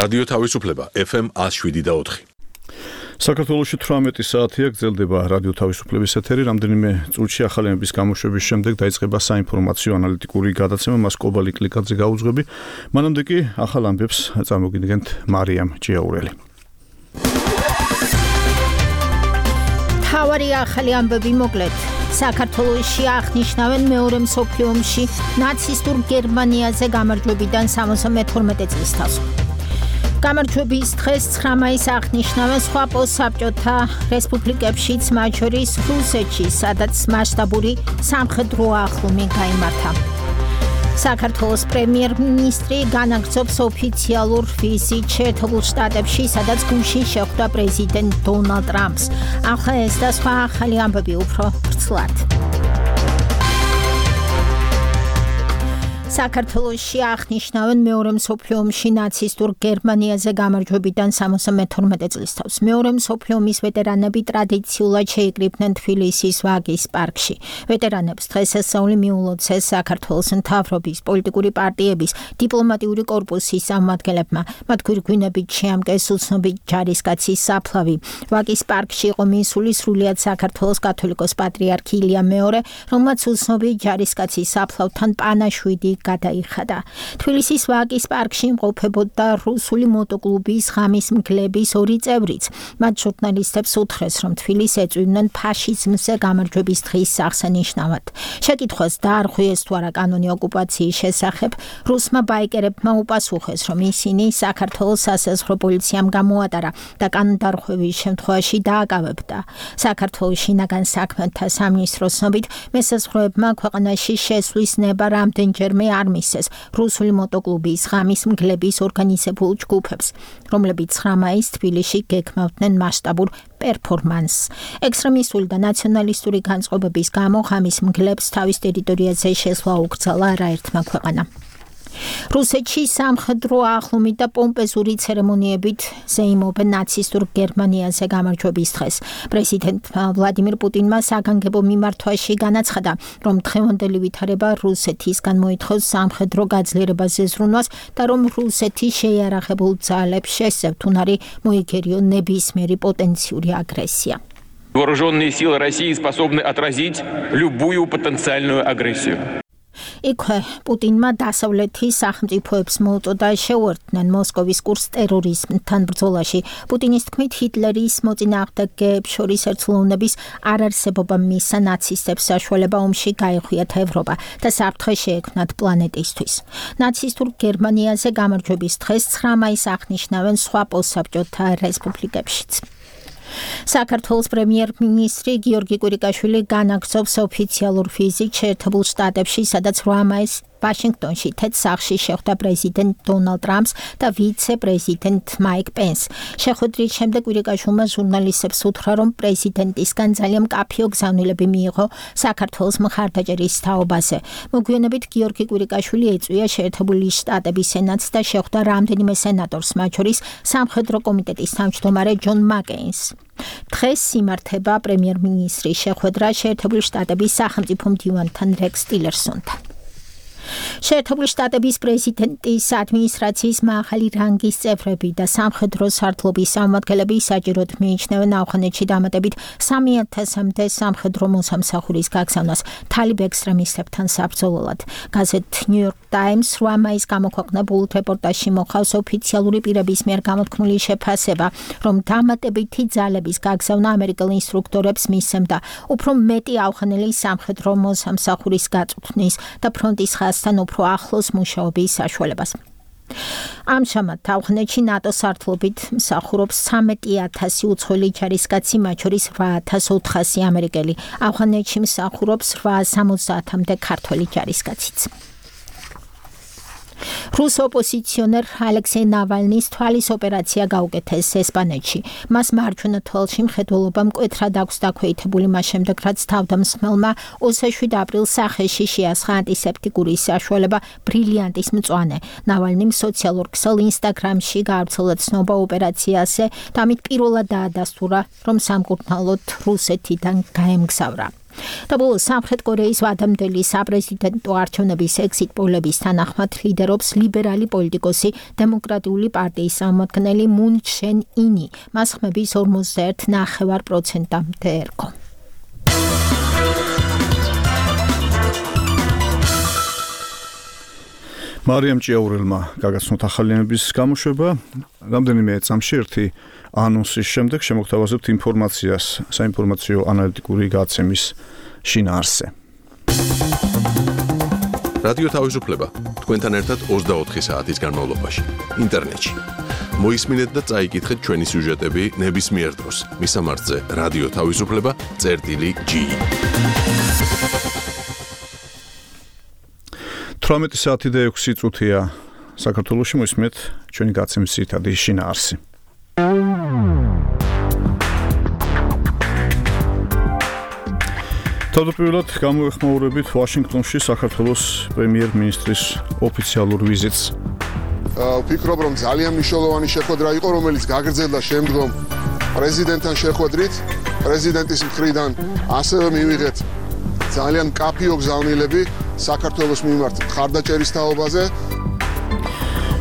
რადიო თავისუფლება FM 107.4. საქართველოში 18 საათია გრძელდება რადიო თავისუფლების ეთერი. რამდენიმე წუთში ახალების გამოშვების შემდეგ დაიწყება საინფორმაციო ანალიტიკური გადაცემა, მას კობალი კლიკაძე გაუძღვები. მანამდე კი ახალ ამბებს წარმოგიდგენთ მარიამ ჭიაურელი. თავარი ახალი ამბები მოკლედ. საქართველოში აღნიშნავენ მეორე მსოფლიო ომში ნაცისტურ გერმანიაზე გამარჯვებიდან 72 წლის თავს. გამარჯვების დღეს 9 მაისს აღნიშნავენ სხვა პოსტსაბჭოთა რესპუბლიკებშიც, მათ შორის რუსეთში, სადაც მასშტაბური სამხედრო ახლომი გაიმართა. საქართველოს პრემიერ-მინისტრი განაგრძობს ოფიციალურ ვიზიტს შეერთებულ შტატებში, სადაც გუშინ შეხვდა პრეზიდენტ დონალდ ტრამპს. ახლა ეს და სხვა ახალი ამბები უფრო ვრცლად. საქართველოში აღნიშნავენ მეორე მსოფლიო ომში ნაცისტურ გერმანიაზე გამარჯვებიდან 72 წლის თავს. მეორე მსოფლიო ომის ვეტერანები ტრადიციულად შეიკრიბნენ თბილისის ვაგის პარკში. ვეტერანებს დღესასწაული მიულოცეს საქართველოს მთავრობის, პოლიტიკური პარტიების, დიპლომატიური კორპუსის წარმომადგენლებმა. მათ გვირგვინებით შეამკეს უცნობი ჯარისკაცის საფლავი. ვაგის პარკში იყო მისული სრულიად საქართველოს კათოლიკოს პატრიარქი ილია მეორე, რომელმაც უცნობი ჯარისკაცის საფლავთან პანაშვიდი გადაიხადა. თბილისის ვაგის პარკში იმყოფებოდა რუსული მოტოკლუბის ღამის მგლების 2 წევრიც. მათ ჟურნალისტებს უთხრეს, რომ თბილისს ეწვივნენ ფაშიზმზე გამარჯვების დღის აღსანიშნავად. შეკითხვას დაარღვიეს თუ არა კანონი ოკუპაციის შესახებ, რუსმა ბაიკერებმა უპასუხეს, რომ ისინი საქართველოს სასაზღვრო პოლიციამ გამოატარა და კანონდარღვევის შემთხვევაში დააკავებდა. საქართველოს შინაგან საქმეთა სამინისტროს ცნობით, მესაზღვროებმა ქვეყანაში შესვლის ნება რამდენჯერმე არ მისცეს რუსული მოტოკლუბის ღამის მგლების ორგანიზებულ ჯგუფებს, რომლებიც 9 მაისს თბილისში გეგმავდნენ მასშტაბურ პერფორმანსს. ექსტრემისტული და ნაციონალისტური განწყობების გამო ღამის მგლებს თავის ტერიტორიაზე შესვლა უკრძალა არაერთმა ქვეყანამ. რუსეთში სამხედრო ახლომით და პომპეზური ცერემონიებით ზეიმობენ ნაცისტურ გერმანიაზე გამარჯვების დღეს. პრეზიდენტ ვლადიმირ პუტინმა საგანგებო მიმართვაში განაცხადა, რომ დღევანდელი ვითარება რუსეთისგან მოითხოვს სამხედრო გაძლიერებაზე ზრუნვას და რომ რუსეთი შეიარაღებულ ძალებს შესწევთ უნარი მოიგერიონ ნებისმიერი პოტენციური აგრესია. Вооруженные силы России способны отразить любую потенциальную агрессию. იქვე პუტინმა დასავლეთის სახელმწიფოებს მოუწოდა შეუერთდნენ მოსკოვის კურსს ტერორიზმთან ბრძოლაში. პუტინის თქმით, ჰიტლერის მოწინააღმდეგეებს შორის ერთლოვნების არარსებობა მისცა ნაცისტებს საშუალება ომში გაეხვიათ ევროპა და საფრთხე შეექმნათ პლანეტისთვის. ნაცისტურ გერმანიაზე გამარჯვების დღეს 9 მაისს აღნიშნავენ სხვა პოსტსაბჭოთა რესპუბლიკებშიც. საქართველოს პრემიერ-მინისტრი გიორგი კვირიკაშვილი განაგრძობს ოფიციალურ ვიზიტს შეერთებულ შტატებში, სადაც 8 მაისს ვაშინგტონში თეთრ სახლში შეხვდა პრეზიდენტ დონალდ ტრამპს და ვიცე-პრეზიდენტ მაიკ პენს. შეხვედრის შემდეგ კვირიკაშვილმა ჟურნალისტებს უთხრა, რომ პრეზიდენტისგან ძალიან მკაფიო გზავნილები მიიღო საქართველოს მხარდაჭერის თაობაზე. მოგვიანებით გიორგი კვირიკაშვილი ეწვია შეერთებული შტატების სენატს და შეხვდა რამდენიმე სენატორს, მათ შორის სამხედრო კომიტეტის თავმჯდომარე ჯონ მაკეინს. დღეს იმართება პრემიერ-მინისტრის შეხვედრა შეერთებული შტატების სახელმწიფო მდივანთან რეკს ტილერსონთან. შეერთებული შტატების პრეზიდენტის ადმინისტრაციის მაღალი რანგის წევრები და სამხედრო სარდლობის წარმომადგენლები საჭიროდ მიიჩნევენ ავღანეთში დამატებით 3000-მდე სამხედრო მოსამსახურის გაგზავნას თალიბ ექსტრემისტებთან საბრძოლველად. გაზეთ New York Times 8 მაისს გამოქვეყნებულ რეპორტაჟში მოხავს ოფიციალური პირების მიერ გამოთქმული შეფასება, რომ დამატებითი ძალების გაგზავნა ამერიკელ ინსტრუქტორებს მისცემდა უფრო მეტი ავღანელი სამხედრო მოსამსახურის გაწვრთნის და ფრონტის ხაზთან უფრო ახლოს მუშაობის საშუალებას. ამჟამად ავღანეთში ნატოს სარდლობით მსახურობს 13,000 უცხოელი ჯარისკაცი, მათ შორის 8,400 ამერიკელი. ავღანეთში მსახურობს 870-მდე ქართველი ჯარისკაციც. რუს ოპოზიციონერ ალექსეი ნავალნის თვალის ოპერაცია გაუკეთეს ესპანეთში. მას მარჯვენა თვალში მხედველობა მკვეთრად აქვს დაქვეითებული მას შემდეგ, რაც თავდამსხმელმა 27 აპრილს სახეში შეასხა ანტისეპტიკური საშუალება ბრილიანტის მწვანე. ნავალნიმ სოციალურ ქსელ ინსტაგრამში გაავრცელა ცნობა ოპერაციაზე და ამით პირველად დაადასტურა, რომ სამკურნალოდ რუსეთიდან გაემგზავრა. და ბოლოს სამხრეთ კორეის ვადამდელი საპრეზიდენტო არჩევნების ექსიტ პოლების თანახმად ლიდერობს ლიბერალი პოლიტიკოსი დემოკრატიული პარტიის წარმომადგენელი მუნ ჩენ ინი. მას ხმების 51.9%-მდე ერგო. მარიამ ჭიაურელმა გაგაცნოთ ახალიანების გამოშვება. რამდენიმე წამში ერთი ანონსის შემდეგ შემოგთავაზებთ ინფორმაციას საინფორმაციო ანალიტიკური გადაცემის შინაარსზე. რადიო თავისუფლება თქვენთან ერთად 24 საათის განმავლობაში ინტერნეტში. მოისმინეთ და წაიკითხეთ ჩვენი სიუჟეტები ნებისმიერ დროს. მისამართზე რადიო თავისუფლება.gi 18 საათი და 6 წუთია საქართველოში მოისმენთ ჩვენი გადაცემის ძირითადი შინაარსი. თავდაპირველად გამოეხმაურებით ვაშინგტონში საქართველოს პრემიერ-მინისტრის ოფიციალურ ვიზიტს. ვფიქრობ, რომ ძალიან მნიშვნელოვანი შეხვედრა იყო, რომელიც გაგრძელდა შემდგომ პრეზიდენტთან შეხვედრით. პრეზიდენტის მხრიდან ასევე მივიღეთ ძალიან კაფეო გზავნილები საქართველოს მიმართ მხარდაჭერის თაობაზე.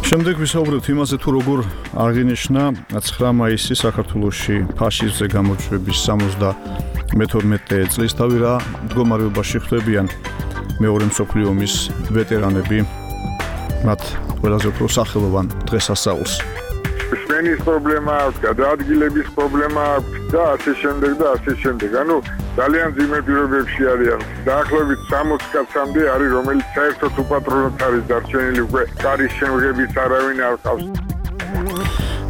შემდეგ ვისაუბრებთ იმაზე, თუ როგორ აღინიშნა 9 მაისის საქართველოში ფაშიზმზე გამარჯვების 72 წლისთავი რა მდგომარეობაში ხვდებიან მეორე მსოფლიო ომის ვეტერანები მათ ყველაზე უფრო სახელოვან დღესასწაულს. სმენის პრობლემა აქვს, გადაადგილების პრობლემა აქვს და ასე შემდეგ და ასე შემდეგ. ანუ ძალიან ძიმე პირობებში არიან. დაახლოებით 60 კაცამდე არის, რომელიც საერთოდ უპატრონოდ არის დარჩენილი, უკვე კარის შემღებიც არავინ არ ყავს.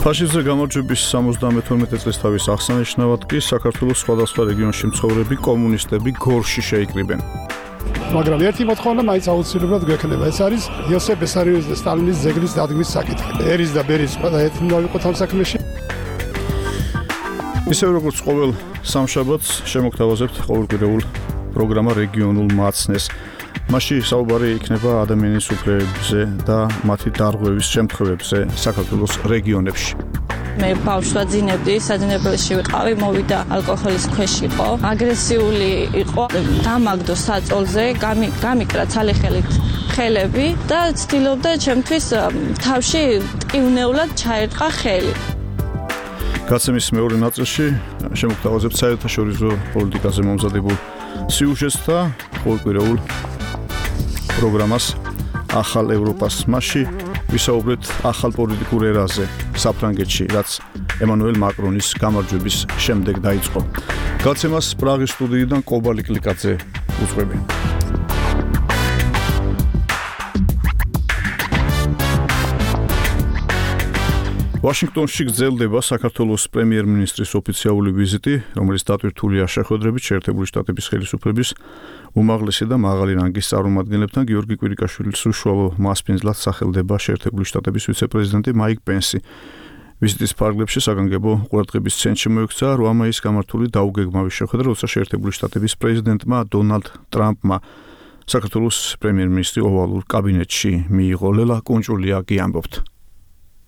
ფაშიზმზე გამარჯვების 72 წლისთავის აღსანიშნავად კი საქართველოს სხვადასხვა რეგიონში მცხოვრები კომუნისტები გორში შეიკრიბენ. მაგრამ ერთი მოთხოვნა მაინც აუცილებლად გვექნება. ეს არის იოსებ ბესარიოვის და სტალინის ძეგლის დადგმის საკითხი. ერის და ბერის ყველა ერთი დავიყოთ ამ საქმეში. ისევ როგორც ყოველ სამშაბათს შემოგთავაზებთ ყოველკვირეულ პროგრამა რეგიონულ მაცნეს. მასში საუბარი იქნება ადამიანის უფლებებზე და მათი დარღვევის შემთხვევებზე საქართველოს რეგიონებში. მე ბავშვად ძინებდი, საძინებელში ვიყავი, მოვიდა ალკოჰოლის ქვეშ იყო, აგრესიული იყო, დამაგდო საწოლზე, გამიკრა ცალიხელით ხელები და ცდილობდა ჩემთვის თავში ტკივნეულად ჩაერტყა ხელი. გაცემის მეორე ნაწილში შემოგთავაზებთ საერთაშორისო პოლიტიკაზე მომზადებულ სიუჟეტს და ყოველკვირეულ პროგრამას ახალ ევროპას მასში ვისაუბრეთ ახალ პოლიტიკურ ერაზე საფრანგეთში, რაც ემანუელ მაკრონის გამარჯვების შემდეგ დაიწყო. გაცემას პრაღის სტუდიიდან კობალი კლიკაძე უძღვები. ვაშინგტონში გრძელდება საქართველოს პრემიერ-მინისტრის ოფიციალური ვიზიტი, რომელიც დატვირთულია შეხვედრებით შეერთებული შტატების ხელისუფლების უმაღლესი და მაღალი რანგის წარმომადგენლებთან. გიორგი კვირიკაშვილის უშუალო მასპინძლად სახელდება შეერთებული შტატების ვიცე-პრეზიდენტი მაიკ პენსი. ვიზიტის ფარგლებში საგანგებო ყურადღების ცენტრში მოექცა 8 მაისს გამართული დაუგეგმავი შეხვედრა, როცა შეერთებული შტატების პრეზიდენტმა დონალდ ტრამპმა საქართველოს პრემიერ-მინისტრი ოვალურ კაბინეტში მიიღო. ლელა კუნჭულია კი ამბობთ.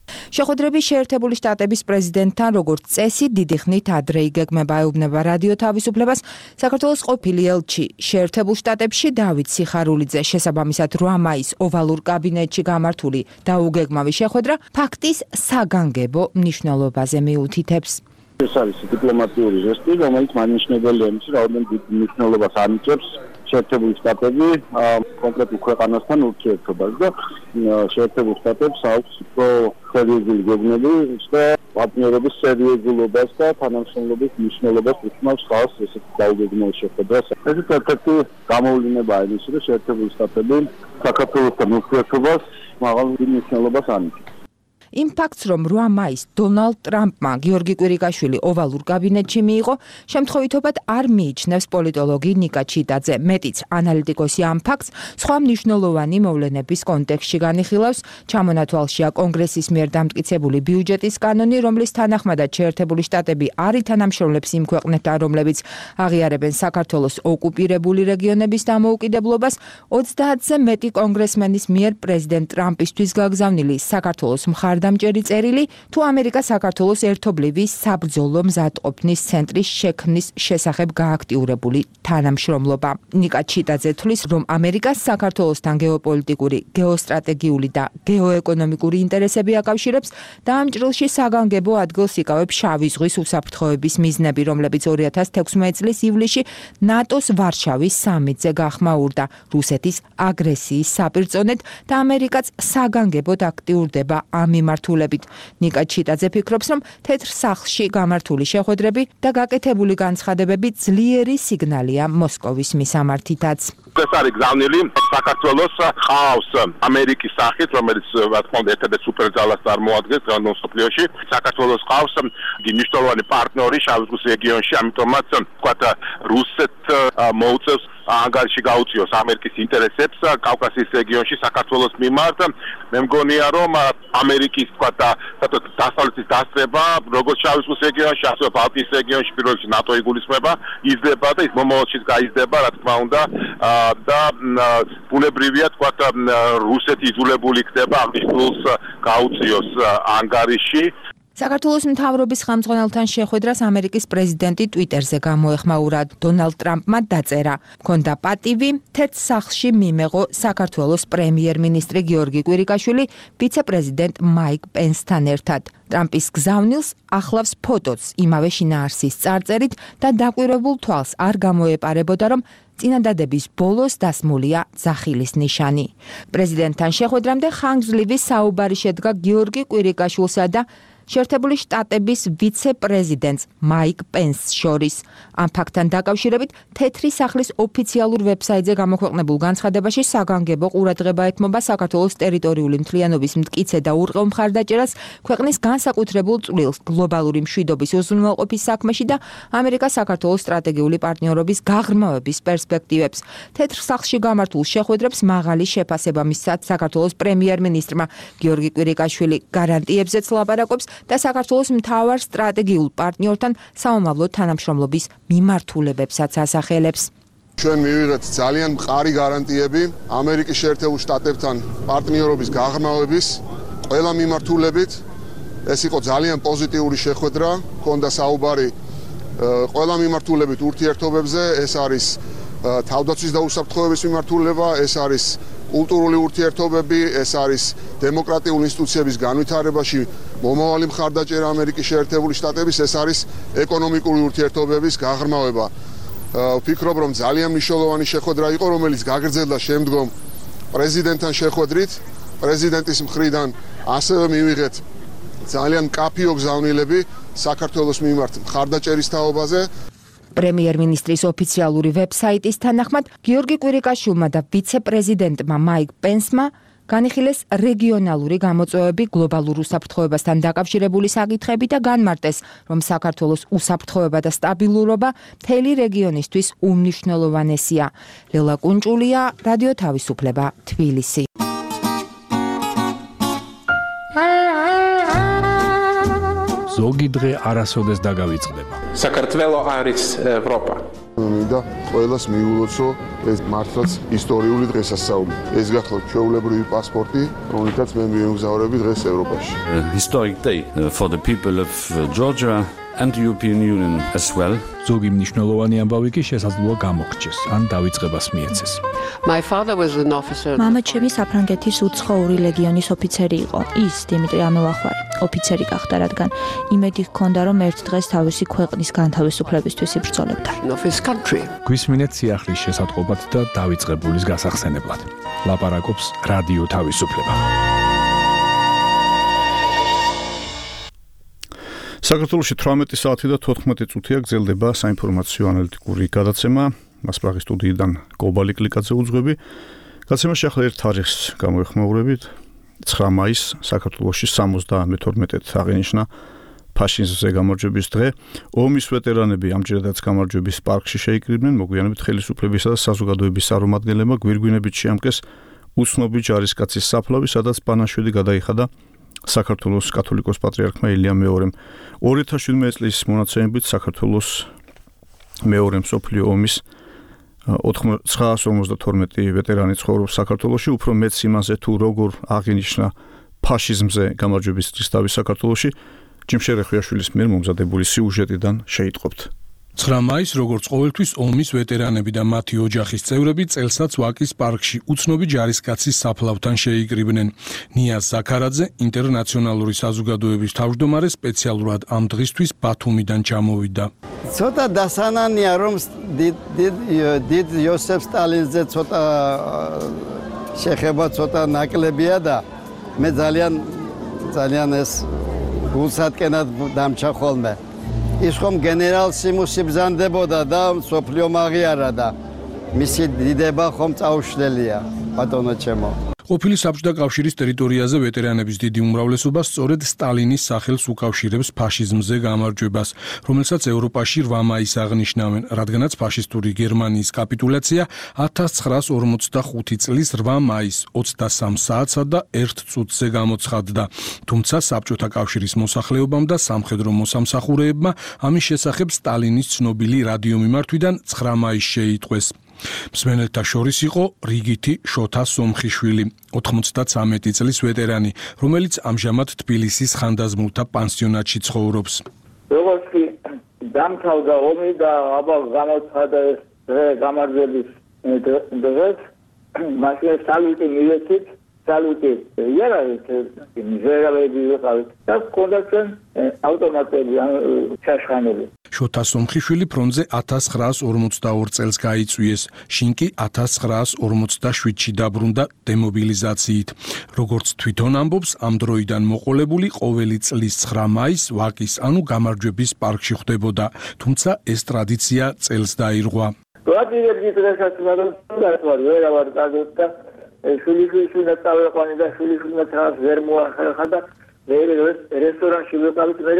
შეხვედრები შეერთებული შტატების პრეზიდენტთან როგორც წესი დიდი ხნით ადრე იგეგმება, ეუბნება რადიო თავისუფლებას საქართველოს ყოფილი ელჩი შეერთებულ შტატებში დავით სიხარულიძე. შესაბამისად 8 მაისს ოვალურ კაბინეტში გამართული დაუგეგმავი შეხვედრა ფაქტის საგანგებო მნიშვნელობაზე მიუთითებს. ეს არის დიპლომატიური ჟესტი, რომელიც მანიშნებელია იმის, რაოდენობით დიდ მნიშვნელობას ანიჭებს შეერთებული შტატები კონკრეტულ ქვეყანასთან ურთიერთობას და შეერთებულ შტატებს აქვს უფრო სერიოზული გეგმები და პარტნიორობის სერიოზულობას და თანამშრომლობის მნიშვნელობას უთმობს ხალხს ესეთი დაუგეგმავი შეხვედრას. ეს ერთ-ერთი გამოვლინებაა იმისი, რომ შეერთებული შტატები საქართველოსთან ურთიერთობას მაღალ მნიშვნელობას ანიჭებს. იმ ფაქტს, რომ 8 მაისს დონალდ ტრამპმა გიორგი კვირიკაშვილი ოვალურ კაბინეტში მიიღო, შემთხვევითობად არ მიიჩნევს პოლიტოლოგი ნიკა ჩიტაძე. მეტიც, ანალიტიკოსი ამ ფაქტს სხვა მნიშვნელოვანი მოვლენების კონტექსტში განიხილავს. ჩამონათვალშია კონგრესის მიერ დამტკიცებული ბიუჯეტის კანონი, რომლის თანახმადაც შეერთებული შტატები არ ითანამშრომლებს იმ ქვეყნებთან, რომლებიც აღიარებენ საქართველოს ოკუპირებული რეგიონების დამოუკიდებლობას. 30-ზე მეტი კონგრესმენის მიერ პრეზიდენტ ტრამპისთვის გაგზავნილი საქართველოს მხარ მხარდამჭერი წერილი, თუ ამერიკა საქართველოს ერთობლივი საბრძოლო მზადყოფნის ცენტრის შექმნის შესახებ გააქტიურებული თანამშრომლობა. ნიკა ჩიტაძე თვლის, რომ ამერიკას საქართველოსთან გეოპოლიტიკური, გეოსტრატეგიული და გეოეკონომიკური ინტერესები აკავშირებს და ამ ჭრილში საგანგებო ადგილს იკავებს შავი ზღვის უსაფრთხოების მიზნები, რომლებიც 2016 წლის ივლისში ნატოს ვარშავის სამიტზე გახმაურდა რუსეთის აგრესიის საპირწონედ და ამერიკაც საგანგებოდ აქტიურდება ამ მიმართულებით. ნიკა ჩიტაძე ფიქრობს, რომ თეთრ სახლში გამართული შეხვედრები და გაკეთებული განცხადებები ძლიერი სიგნალია მოსკოვის მისამართითაც. ეს არის გზავნილი საქართველოს ყავს ამერიკის სახით, რომელიც რა თქმა უნდა ერთ-ერთ სუპერძალას წარმოადგენს დღევანდელ მსოფლიოში. საქართველოს ყავს მნიშვნელოვანი პარტნიორი შავი ზღვის რეგიონში, ამიტომაც ვთქვათ რუსეთს მოუწევს ანგარიში გაუწიოს ამერიკის ინტერესებს კავკასიის რეგიონში საქართველოს მიმართ. მე მგონია, რომ ამერიკის ვთქვათ დასავლეთის დასწრება როგორც შავი ზღვის რეგიონში, ასევე ბალტიის რეგიონში პირველ რიგში ნატო იგულისხმება, იზრდება და ის მომავალშიც გაიზრდება, რა თქმა უნდა, და ბუნებრივია ვთქვათ რუსეთი იძულებული ხდება აღნიშნულს გაუწიოს ანგარიში. საქართველოს მთავრობის ხელმძღვანელთან შეხვედრას ამერიკის პრეზიდენტი ტვიტერზე გამოეხმაურა. დონალდ ტრამპმა დაწერა: "მქონდა პატივი თეთრ სახლში მიმეღო საქართველოს პრემიერ-მინისტრი გიორგი კვირიკაშვილი ვიცე-პრეზიდენტ მაიკ პენსთან ერთად. ტრამპის გზავნილს ახლავს ფოტოც იმავე შინაარსის წარწერით და დაკვირვებულ თვალს არ გამოეპარებოდა, რომ წინადადების ბოლოს დასმულია ძახილის ნიშანი. პრეზიდენტთან შეხვედრამდე ხანგრძლივი საუბარი შედგა გიორგი კვირიკაშვილსა და შეერთებული შტატების ვიცე-პრეზიდენტს მაიკ პენსს შორის. ამ ფაქტთან დაკავშირებით თეთრი სახლის ოფიციალურ ვებსაიტზე გამოქვეყნებულ განცხადებაში საგანგებო ყურადღება ეთმობა საქართველოს ტერიტორიული მთლიანობის მტკიცე და ურყევ მხარდაჭერას ქვეყნის განსაკუთრებულ წვლილს გლობალური მშვიდობის უზრუნველყოფის საქმეში და ამერიკას საქართველოს სტრატეგიული პარტნიორობის გაღრმავების პერსპექტივებს. თეთრ სახლში გამართულ შეხვედრებს მაღალი შეფასება მისცა საქართველოს პრემიერ-მინისტრმა გიორგი კვირიკაშვილი გარანტიებზეც ლაპარაკობს და საქართველოს მთავარ სტრატეგიულ პარტნიორთან საომავლო თანამშრომლობის მიმართულებებსაც ასახელებს. ჩვენ მივიღეთ ძალიან მყარი გარანტიები ამერიკის შეერთებულ შტატებთან პარტნიორობის გაღრმავების ყველა მიმართულებით. ეს იყო ძალიან პოზიტიური შეხვედრა, ჰქონდა საუბარი ყველა მიმართულებით ურთიერთობებზე, ეს არის თავდაცვის და უსაფრთხოების მიმართულება, ეს არის კულტურული ურთიერთობები, ეს არის დემოკრატიული ინსტიტუციების განვითარებაში მომავალი მხარდაჭერა ამერიკის შეერთებული შტატების, ეს არის ეკონომიკური ურთიერთობების გაღრმავება. ვფიქრობ, რომ ძალიან მნიშვნელოვანი შეხვედრა იყო, რომელიც გაგრძელდა შემდგომ პრეზიდენტთან შეხვედრით. პრეზიდენტის მხრიდან ასევე მივიღეთ ძალიან მკაფიო გზავნილები საქართველოს მიმართ მხარდაჭერის თაობაზე. პრემიერ-მინისტრის ოფიციალური ვებსაიტის თანახმად, გიორგი კვირიკაშვილმა და ვიცე-პრეზიდენტმა მაიკ პენსმა განიხილეს რეგიონალური გამოწვევები გლობალურ უსაფრთხოებასთან დაკავშირებული საკითხები და განმარტეს, რომ საქართველოს უსაფრთხოება და სტაბილურობა მთელი რეგიონისთვის უმნიშვნელოვანესია. ლელა კუნჭულია, რადიო თავისუფლება, თბილისი. ზოგი დღე არასოდეს დაგავიწყდება. საქართველო არის ევროპა. მინდა ყველას მიულოცო ეს მართლაც ისტორიული დღესასწაული. ეს გახლავთ ჩვეულებრივი პასპორტი, რომელთაც მე მივემგზავრები დღეს ევროპაში. Historic day for the people of Georgia and the European Union as well. ზოგი მნიშვნელოვანი ამბავი კი შესაძლოა გამოგრჩეს, ან დავიწყებას მიეცეს. My father was an officer. მამა ჩემი საფრანგეთის უცხოური ლეგიონის ოფიცერი იყო. ის დიმიტრი ამელახვარი ოფიცერი გახდა, რადგან იმედი ჰქონდა, რომ ერთ დღეს თავისი ქვეყნის განთავისუფლებისთვის იბრძოლებდა. გვისმინეთ სიახლის შესატყობად და დავიწყებულის გასახსენებლად. ლაპარაკობს რადიო თავისუფლება. საქართველოში 18 საათი და 14 წუთია გრძელდება საინფორმაციო ანალიტიკური გადაცემა. მას პრაღის სტუდიიდან კობალი კლიკაძე უძღვები. გადაცემაში ახლა ერთ თარიღს გამოეხმაურებით. 9 მაისს საქართველოში 72-ით აღინიშნა ფაშიზმზე გამარჯვების დღე. ომის ვეტერანები ამჯერადაც გამარჯვების პარკში შეიკრიბნენ. მოგვიანებით ხელისუფლებისა და საზოგადოების წარმომადგენლებმა გვირგვინებით შეამკეს უცნობი ჯარისკაცის საფლავი, სადაც პანაშვილი გადაიხადა საქართველოს კათოლიკოს პატრიარქმა ილია მეორემ. 2017 წლის მონაცემებით საქართველოს მეორე მსოფლიო ომის 952 ვეტერანი ცხოვრობს საქართველოში, უფრო მეც იმაზე თუ როგორ აღინიშნა ფაშიზმზე გამარჯვების დღის თავის საქართველოში ჯიმშერ ხვიაშვილის მიერ მომზადებული სიუჟეტიდან შეიტყობთ. 9 მაისს, როგორც ყოველთვის, ომის ვეტერანები და მათი ოჯახის წევრები წელსაც ვაკის პარკში უცნობი ჯარისკაცის საფლავთან შეიკრიბნენ. ნია ზაქარაძე, ინტერნაციონალური საზოგადოების თავმჯდომარე, სპეციალურად ამ დღისთვის ბათუმიდან ჩამოვიდა. ცოტა დასანანია, რომ დიდ იოსებ სტალინზე ცოტა შეხება ცოტა ნაკლებია და მე ძალიან ეს გულსატკენად დამჩა ხოლმე. ის ხომ გენერალ სიმუსი ბზანდებოდა და სოფლიო მაღიარა და მისი დიდება ხომ წაუშლელია ბატონო ჩემო. ყოფილი საბჭოთა კავშირის ტერიტორიაზე ვეტერანების დიდი უმრავლესობა სწორედ სტალინის სახელს უკავშირებს ფაშიზმზე გამარჯვებას, რომელსაც ევროპაში 8 მაისს აღნიშნავენ, რადგანაც ფაშისტური გერმანიის კაპიტულაცია 1945 წლის 8 მაისს 23 საათსა და 1 წუთზე გამოცხადდა. თუმცა საბჭოთა კავშირის მოსახლეობამ და სამხედრო მოსამსახურეებმა ამის შესახებ სტალინის ცნობილი რადიომიმართვიდან 9 მაისს შეიტყვეს. მსმენელთა შორის იყო რიგითი შოთა სომხიშვილი, 93 წლის ვეტერანი, რომელიც ამჟამად თბილისის ხანდაზმულთა პანსიონატში ცხოვრობს. როგორც კი დამთავრდა ომი და გამოცხადა ეს გამარჯვების დღეს, მაშინ სალუტი მივეცით, სალუტი იარაღით მჟერავები ვიყავით და ჰქონდათ ავტომატები ჩაშხანები. შოთა სომხიშვილი ფრონტზე 1942 წელს გაიწვიეს, შინ კი 1947-ში დაბრუნდა დემობილიზაციით. როგორც თვითონ ამბობს, ამ დროიდან მოყოლებული ყოველი წლის 9 მაისს ვაკის, ანუ გამარჯვების პარკში ხვდებოდა, თუმცა ეს ტრადიცია წელს დაირღვა. ვაკიები დღესაც მაგრამ ვერავარ გადავთ და შვილიშვილს წავეყვანი და შვილიშვილს რაღაც ვერ მოახერხა და მე რესტორანში ვიყავით მე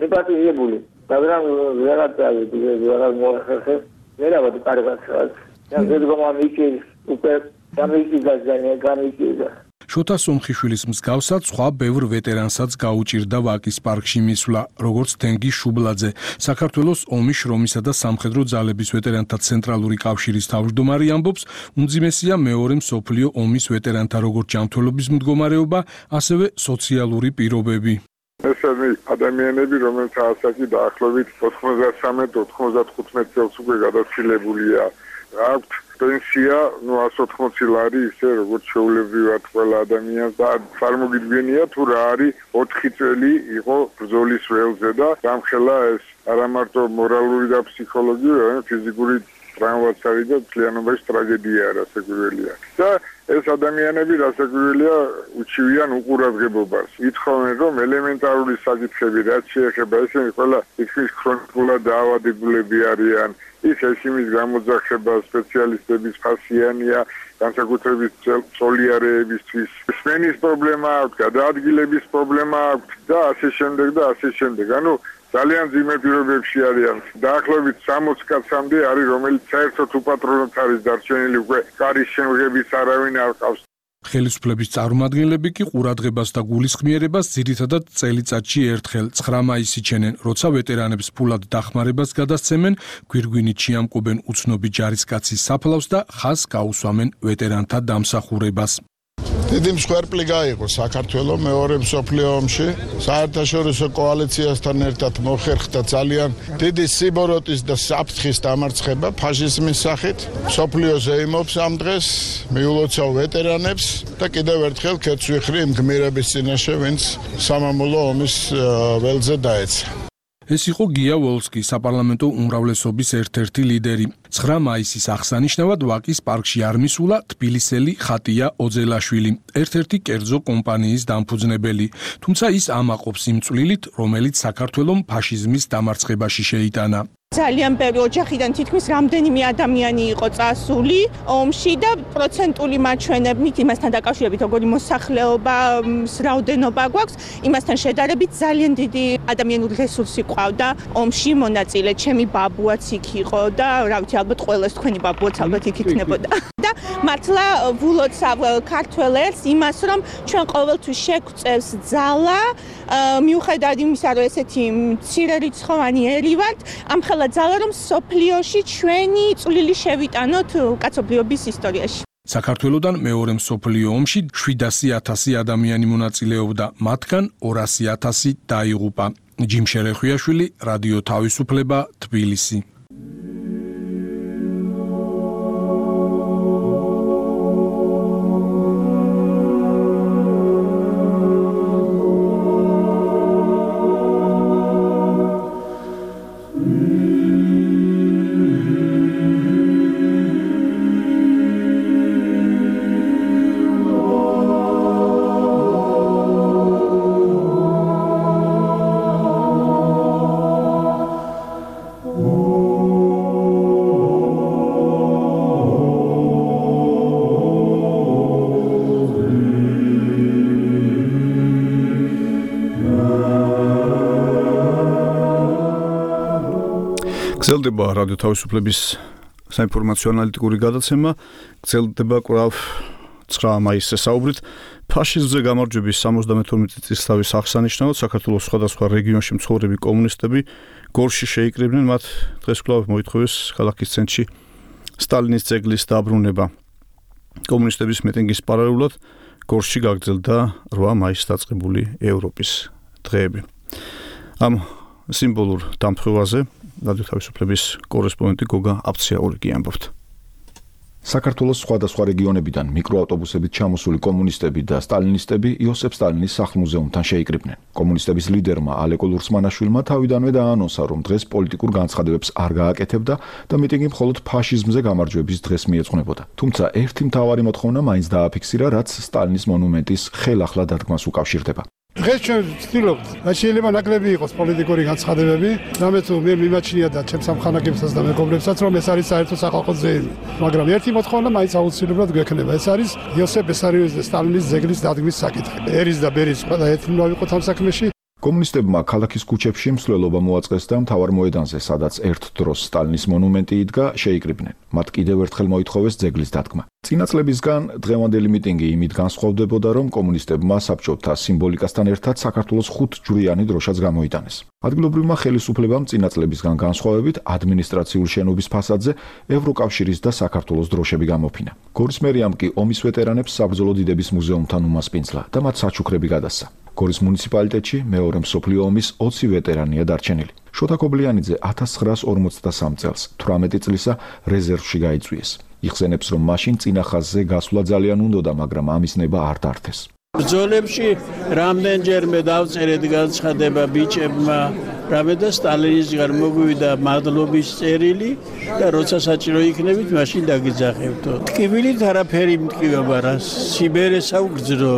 მიპატიჟებული. მაგრამ ვეღარ დავიდი, ვეღარ მოახერხე, ვერავარ კარგად ხარ. და ზედგომა მიქის უკვე გამიჭირდა. შოთა სომხიშვილის მსგავსად სხვა ბევრ ვეტერანსაც გაუჭირდა ვაკის პარკში მისვლა, როგორც თენგი შუბლაძე, საქართველოს ომის, შრომისა და სამხედრო ძალების ვეტერანთა ცენტრალური კავშირის თავმჯდომარე ამბობს, უმძიმესია მეორე მსოფლიო ომის ვეტერანთა როგორც ჯანმრთელობის მდგომარეობა, ასევე სოციალური პირობები. ესენი ადამიანები, რომელთა ასაკი დაახლოებით 93-95 წელს უკვე გადაცილებულია, აქვთ პენსია 180 ლარი, ისე როგორც შეულებრივად ყველა ადამიანს და წარმოგიდგენია თუ რა არის 4 წელი იყო ბრძოლის ველზე და გამხელა ეს არა მარტო მორალური და ფსიქოლოგიური, არამედ ფიზიკური ტრავმაც არის და ძალიანობაში ტრაგედია რასაკვირველია. და ეს ადამიანები რასაკვირველია უჩივიან უყურადღებობას. ითხოვენ რომ ელემენტარული საკითხები რაც შეეხება ესენი ყველა იქის ქრონიკულად დაავადებულები არიან. ის ეშიმის გამოძახება სპეციალისტების ფასიანია, განსაკუთრებით სოლიარეებისთვის. სმენის პრობლემა აქვს, გადაადგილების პრობლემა აქვს და ასე შემდეგ. ანუ ძალიან ძიმე პირობებში არიან. დაახლოებით 60 კაცამდე არის, რომელიც საერთოდ უპატრონოდ არის დარჩენილი, უკვე კარის შემღების არავინ არ ყავს. ხელისუფლების წარმომადგენლები კი ყურადღებას და გულისხმიერებას ძირითადად წელიწადში ერთხელ 9 მაისს იჩენენ, როცა ვეტერანებს ფულად დახმარებას გადასცემენ, გვირგვინით შეამკობენ უცნობი ჯარისკაცის საფლავს და ხაზს გაუსვამენ ვეტერანთა დამსახურებას. დიდი მსხვერპლი გაიყო საქართველოს მეორე მსოფლიო ომში. საერთაშორისო კოალიციასთან ერთად მოხერხდა ძალიან დიდი სიბოროტის და საფრთხის დამარცხება ფაშიზმის სახით. მსოფლიო ზეიმობს ამ დღეს, მიულოცავ ვეტერანებს და კიდევ ერთხელ ქეთს ვიხრი იმ გმირების წინაშე, ვინც სამამულო ომის ველზე დაეცა. ეს იყო გია ვოლსკი, საპარლამენტო უმრავლესობის ერთ-ერთი ლიდერი. 9 მაისის აღსანიშნავად ვაკის პარკში არ მისულა თბილისელი ხატია ოძელაშვილი, ერთ-ერთი კერძო კომპანიის დამფუძნებელი. თუმცა ის ამაყობს იმ წვლილით, რომელიც საქართველოს ფაშიზმის დამარცხებაში შეიტანა. ძალიან ბევრი ოჯახიდან თითქმის რამდენიმე ადამიანი იყო წასული ომში და პროცენტული მაჩვენებლით იმასთან დაკავშირებით, როგორი მოსახლეობა, რაოდენობა გვაქვს, იმასთან შედარებით ძალიან დიდი ადამიანური რესურსი ყავდა ომში მონაწილე. ჩემი ბაბუაც იქ იყო და რა ვიცი, ალბათ ყველას თქვენი ბაბუაც ალბათ იქ იქნებოდა. და მართლა ვულოცავ ქართველებს იმას, რომ ჩვენ ყოველთვის შეგვწევს ძალა, მიუხედავად იმისა, რომ ესეთი მცირე რიცხოვანი ერი ვართ, ამხელა ძალა, რომ სოფლიოში ჩვენი წვლილი შევიტანოთ კაცობრიობის ისტორიაში. საქართველოდან მეორე მსოფლიო ომში 700,000 ადამიანი მონაწილეობდა, მათგან 200,000 დაიღუპა. ჯიმ შერეხვიაშვილი, რადიო თავისუფლება, თბილისი. გრძელდება რადიო თავისუფლების საინფორმაციო ანალიტიკური გადაცემა, გრძელდება კვლავ 9 მაისზე საუბრით ფაშიზმზე გამარჯვების 72 წლისთავის აღსანიშნავად საქართველოს სხვადასხვა რეგიონში მცხოვრები კომუნისტები გორში შეიკრიბნენ, მათ დღეს კვლავ მოითხოვეს ქალაქის ცენტრში სტალინის ძეგლის დაბრუნება. კომუნისტების მიტინგის პარალელურად გორში გაგრძელდა 8 მაისს დაწყებული ევროპის დღეები. ამ სიმბოლურ დამხევაზე რადიო თავისუფლების კორესპონდენტი გოგა აფციაურიკი ამბობთ. საქართველოს სხვადასხვა რეგიონებიდან მიკროავტობუსებით ჩამოსული კომუნისტები და სტალინისტები იოსებ სტალინის სახლ-მუზეუმთან შეიკრიბნენ. კომუნისტების ლიდერმა ალეკო ლურსმანაშვილმა თავიდანვე დაანონსა, რომ დღეს პოლიტიკურ განცხადებებს არ გააკეთებდა და მიტინგი მხოლოდ ფაშიზმზე გამარჯვების დღეს მიეძღვნებოდა. თუმცა ერთი მთავარი მოთხოვნა მაინც დააფიქსირა, რაც სტალინის მონუმენტის ხელახლა დადგმას უკავშირდება. დღეს ჩვენ ვცდილობთ, რა შეიძლება ნაკლები იყოს პოლიტიკური განცხადებები, რამე თუ მე მიმაჩნია და ჩემს სამხანაგებსაც და მეგობრებსაც, რომ ეს არის საერთო სახალხო ძელი. მაგრამ ერთი მოთხოვნა მაინც აუცილებლად გვექნება, ეს არის იოსებ ბესარიოვის და სტალინის ძეგლის დადგმის საკითხი. ერის და ბერის ყველა ერთმანეთს ვიყოთ ამ საქმეში. კომუნისტებმა ქალაქის ქუჩებში მსვლელობა მოაწყეს და მთავარ მოედანზე, სადაც ერთ დროს სტალინის მონუმენტი იდგა, შეიკრიბნენ. მათ კიდევ ერთხელ მოითხოვეს ძეგლის დადგმა. წინა წლებისგან დღევანდელი მიტინგი იმით განსხვავდებოდა, რომ კომუნისტებმა საბჭოთა სიმბოლიკასთან ერთად საქართველოს 5-ჯვრიანი დროშაც გამოიტანეს. ადგილობრივმა ხელისუფლებამ წინა წლებისგან განსხვავებით ადმინისტრაციულ შენობის ფასადზე ევროკავშირის და საქართველოს დროშები გამოფინა. გორის მერიამ კი ომის ვეტერანებს საბრძოლო დიდების მუზეუმთან უმასპინძლა და მათ საჩუქრები გადასცა. გორის მუნიციპალიტეტში მეორე მსოფლიო ომის 20 ვეტერანია დარჩენილი. შოთა ქობლიანიძე 1953 წელს 18 წლისა რეზერვში გაიწვიეს. იხსენებს, რომ მაშინ წინა ხაზზე გასვლა ძალიან უნდოდა, მაგრამ ამის ნება არ დართეს. ბრძოლებში რამდენჯერმე დავწერეთ განცხადება ბიჭებმა, რამე და სტალინისგან მოგვივიდა მადლობის წერილი და როცა საჭირო იქნებით, მაშინ დაგიძახებთო. ტკივილით არაფერი მტკივება რა, სიბერესა უგრძნო.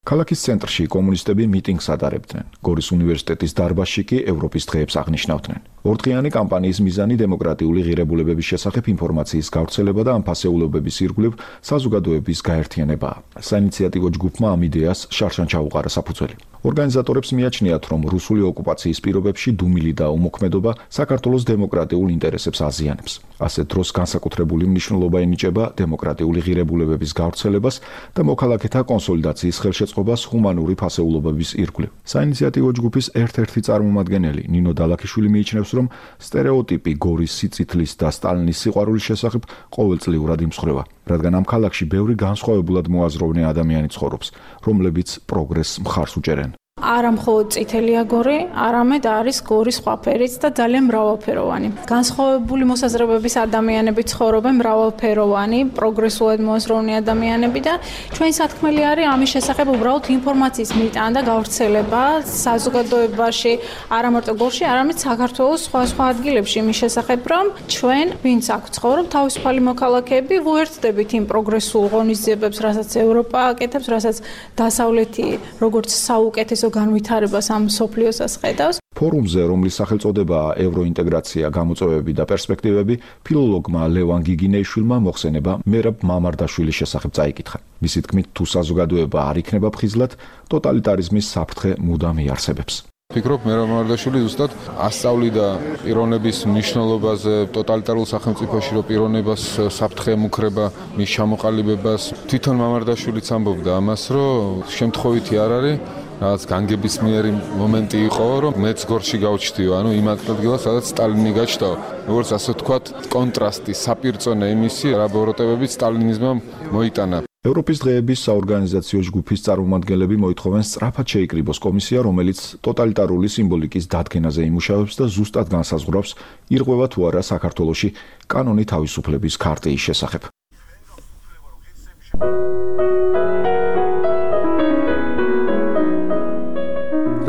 ქალაქის ცენტრში კომუნისტები მიტინგს ატარებდნენ. გორის უნივერსიტეტის დარბაზში კი ევროპის დღეებს აღნიშნავდნენ. ორდღიანი კამპანიის მიზანი დემოკრატიული ღირებულებების შესახებ ინფორმაციის გავრცელება და ამ ფასეულობების ირგვლივ საზოგადოების გაერთიანებაა. საინიციატივო ჯგუფმა ამ იდეას შარშან ჩაუყარა საფუძველი. ორგანიზატორებს მიაჩნიათ, რომ რუსული ოკუპაციის პირობებში დუმილი და უმოქმედობა საქართველოს დემოკრატიულ ინტერესებს აზიანებს. ასეთ დროს განსაკუთრებული მნიშვნელობა ენიჭება დემოკრატიული ღირებულებების გავრცელებას და მოქალაქეთა კონსოლიდაციის ხელშეწყობას ჰუმანური ფასეულობების ირგვლივ. საინიციატივო ჯგუფის ერთ-ერთი წარმომადგენელი ნინო დალაქიშვილი მიიჩნევს, რომ სტერეოტიპი გორის სიწითლის და სტალინის სიყვარულის შესახებ ყოველწლიურად იმსხვრევა, რადგან ამ ქალაქში ბევრი განსხვავებულად მოაზროვნე ადამიანი ცხოვრობს, რომლებიც პროგრესს მხარს უჭერენ. არა მხოლოდ წითელია გორი, არამედ არის გორის სხვა ფერიც და ძალიან მრავალფეროვანი. განსხვავებული მოსაზრებების ადამიანები ცხოვრობენ, მრავალფეროვანი, პროგრესულად მოაზროვნე ადამიანები და ჩვენი სათქმელი არის ამის შესახებ უბრალოდ ინფორმაციის მიტანა და გავრცელება საზოგადოებაში, არა მარტო გორში, არამედ საქართველოს სხვა ადგილებში იმის შესახებ, რომ ჩვენ, ვინც აქ ცხოვრობ, თავისუფალი მოქალაქეები, ვუერთდებით იმ პროგრესულ ღონისძიებებს, რასაც ევროპა აკეთებს, რასაც დასავლეთი როგორც საუკეთესო განვითარებას ამ სოფლიოსას ხედავს. ფორუმზე, რომლის სახელწოდებაა ევროინტეგრაცია, გამოწვევები და პერსპექტივები, ფილოლოგმა ლევან გიგინეიშვილმა მოხსენება მერაბ მამარდაშვილის შესახებ წაიკითხა. მისი თქმით, თუ საზოგადოება არ იქნება ფხიზლად, ტოტალიტარიზმის საფრთხე მუდამ იარსებებს. ფიქრობ, მერაბ მამარდაშვილი ზუსტად ასწავლიდა პიროვნების მნიშვნელობაზე ტოტალიტარულ სახელმწიფოში, რომ პიროვნებას საფრთხე ემუქრება, მის ჩამოყალიბებას. თვითონ მამარდაშვილიც ამბობდა ამას, რომ შემთხვევითი არ არის რაღაც განგებისმიერი მომენტი იყო, რომ მეც გორში გავჩდიო, ანუ იმ ადგილას, სადაც სტალინი გაჩნდა, როგორც ასე ვთქვათ, კონტრასტი, საპირწონე იმისი, რა ბოროტებებით სტალინიზმმა მოიტანა. ევროპის დღეების საორგანიზაციო ჯგუფის წარმომადგენლები მოითხოვენ სწრაფად შეიკრიბოს კომისია, რომელიც ტოტალიტარული სიმბოლიკის დადგენაზე იმუშავებს და ზუსტად განსაზღვრავს, ირღვევა თუ არა საქართველოში კანონი თავისუფლების ქარტიის შესახებ.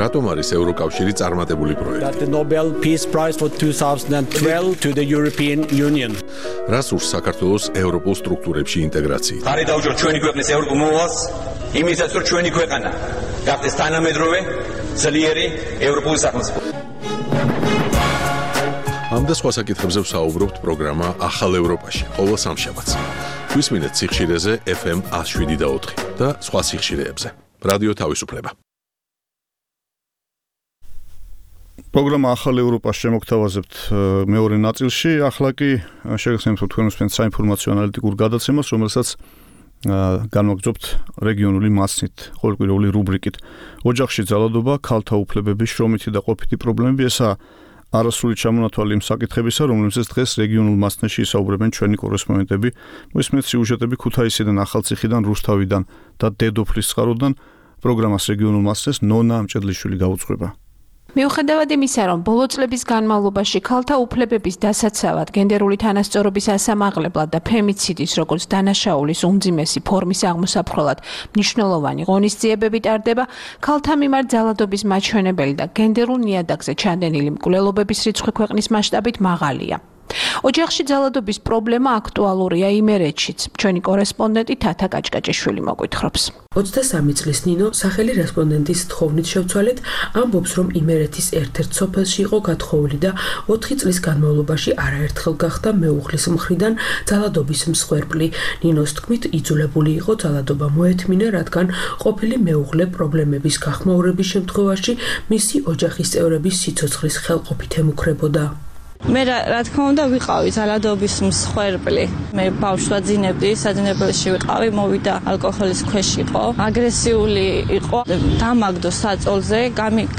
რატომ არის ევროკავშირი წარმატებული პროექტი? The Nobel Peace Prize for 2012 to the European Union. რას ურს საქართველოს ევროპულ სტრუქტურებში ინტეგრაციით? ხარი დაუჭიროთ ჩვენი ქვეყნის ევროპულ მოვალს, იმისაც რომ ჩვენი ქვეყანა გახდეს თანამედროვე, ძლიერი ევროპული სახელმწიფო. ამ და სხვა საკითხებზე ვსაუბრობთ პროგრამა ახალ ევროპაში, ყოველ სამშაბათს. გვისმინეთ სიხშირეზე FM 107.4 და სხვა სიხშირეებზე. რადიო თავისუფლება. პროგრამა ახალ ევროპას შემოგთავაზებთ მეორე ნაწილში. ახლა კი შეგახსენებთ თქვენ უსმენთ საინფორმაციო ანალიტიკურ გადაცემას, რომელსაც განვაგრძობთ რეგიონული მასნით, ყოველკვირეული რუბრიკით. ოჯახში ძალადობა, ქალთა უფლებების შრომითი და ყოფითი პრობლემები, ესაა არასრული ჩამონათვალი იმ საკითხებისა, რომლებზეც დღეს რეგიონულ მასნეთში ისაუბრებენ ჩვენი კორესპონდენტები. მოისმენთ სიუჟეტები ქუთაისიდან, ახალციხიდან, რუსთავიდან და დედოფლის წყაროდან. პროგრამას რეგიონულ მასნეთს ნონა ამჭედლიშვილი გაუძღვება. მიუხედავად იმისა, რომ ბოლო წლების განმავლობაში ქალთა უფლებების დასაცავად, გენდერული თანასწორობის ასამაღლებლად და ფემიციდის როგორც დანაშაულის უმძიმესი ფორმის აღმოსაფხვრად მნიშვნელოვანი ღონისძიებები ტარდება, ქალთა მიმართ ძალადობის მაჩვენებელი და გენდერულ ნიადაგზე ჩანდენილი მკვლელობების რიცხვი ქვეყნის მასშტაბით მაღალია. ოჯახში ძალადობის პრობლემა აქტუალურია იმერეთშიც. ჩვენი კორესპონდენტი თათა კაჭკაჭიშვილი მოგვითხრობს. 23 წლის ნინო სახელი რესპონდენტის თხოვნით შევცვალეთ, ამბობს, რომ იმერეთის ერთ-ერთ სოფელში იყო გათხოვილი და 4 წლის განმავლობაში არაერთხელ გახდა მეუღლის მხრიდან ძალადობის მსხვერპლი. ნინოს თქმით, იძულებული იყო ძალადობა მოეთმინა, რადგან ყოფილი მეუღლე პრობლემების გახმაურების შემთხვევაში მისი ოჯახის წევრების სიცოცხლის ხელყოფით ემუქრებოდა. მე რა თქმა უნდა ვიყავი ძალადობის მსხვერპლი. მე ბავშვს ვაძინებდი, საძინებელში ვიყავი, მოვიდა ალკოჰოლის ქვეშ იყო, აგრესიული იყო, დამაგდო საწოლზე,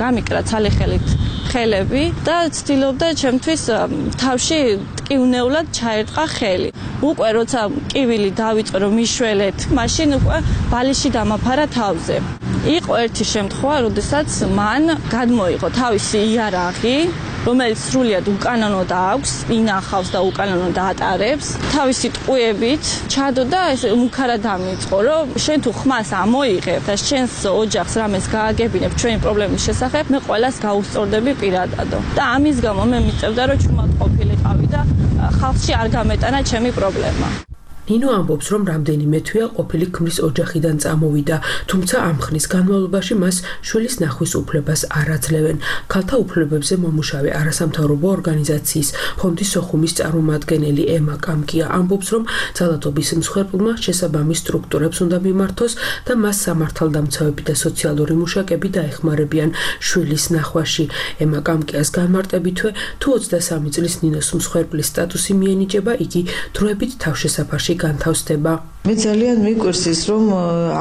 გამიკრა ცალიხელით ხელები და ცდილობდა ჩემთვის თავში ტკივნეულად ჩაერტყა ხელი. უკვე როცა კივილი დავიწყე რომ მიშველეთ, მაშინ უკვე ბალიში დამაფარა თავზე. იყო ერთი შემთხვევა, როდესაც მან გადმოიღო თავისი იარაღი, რომელიც სრულიად უკანონოდ აქვს, ინახავს და უკანონოდ ატარებს. თავისი ტყუებით ჩადო და ეს მუქარა დამიწყო, რომ შენ თუ ხმას ამოიღებ და შენს ოჯახს რამეს გააგებინებ ჩვენი პრობლემის შესახებ, მე ყველას გაუსწორდები პირადადო. და ამის გამო მე მიწევდა, რომ ჩუმად ყოფილიყავი და ხალხში არ გამეტანა ჩემი პრობლემა. ნინო ამბობს, რომ რამდენიმე თვეა ყოფილი ქმრის ოჯახიდან წამოვიდა, თუმცა ამ ხნის განმავლობაში მას შვილის ნახვის უფლებას არ აძლევენ. ქალთა უფლებებზე მომუშავე არასამთავრობო ორგანიზაციის ფონდის სოხუმის წარმომადგენელი ემა კამკია ამბობს, რომ ძალადობის მსხვერპლმა შესაბამის სტრუქტურებს უნდა მიმართოს და მას სამართალდამცავები და სოციალური მუშაკები დაეხმარებიან შვილის ნახვაში. ემა კამკიას განმარტებითვე, თუ 23 წლის ნინოს მსხვერპლის სტატუსი მიენიჭება, იგი დროებით თავშესაფარში განთავსდება. მე ძალიან მიკვირს ის, რომ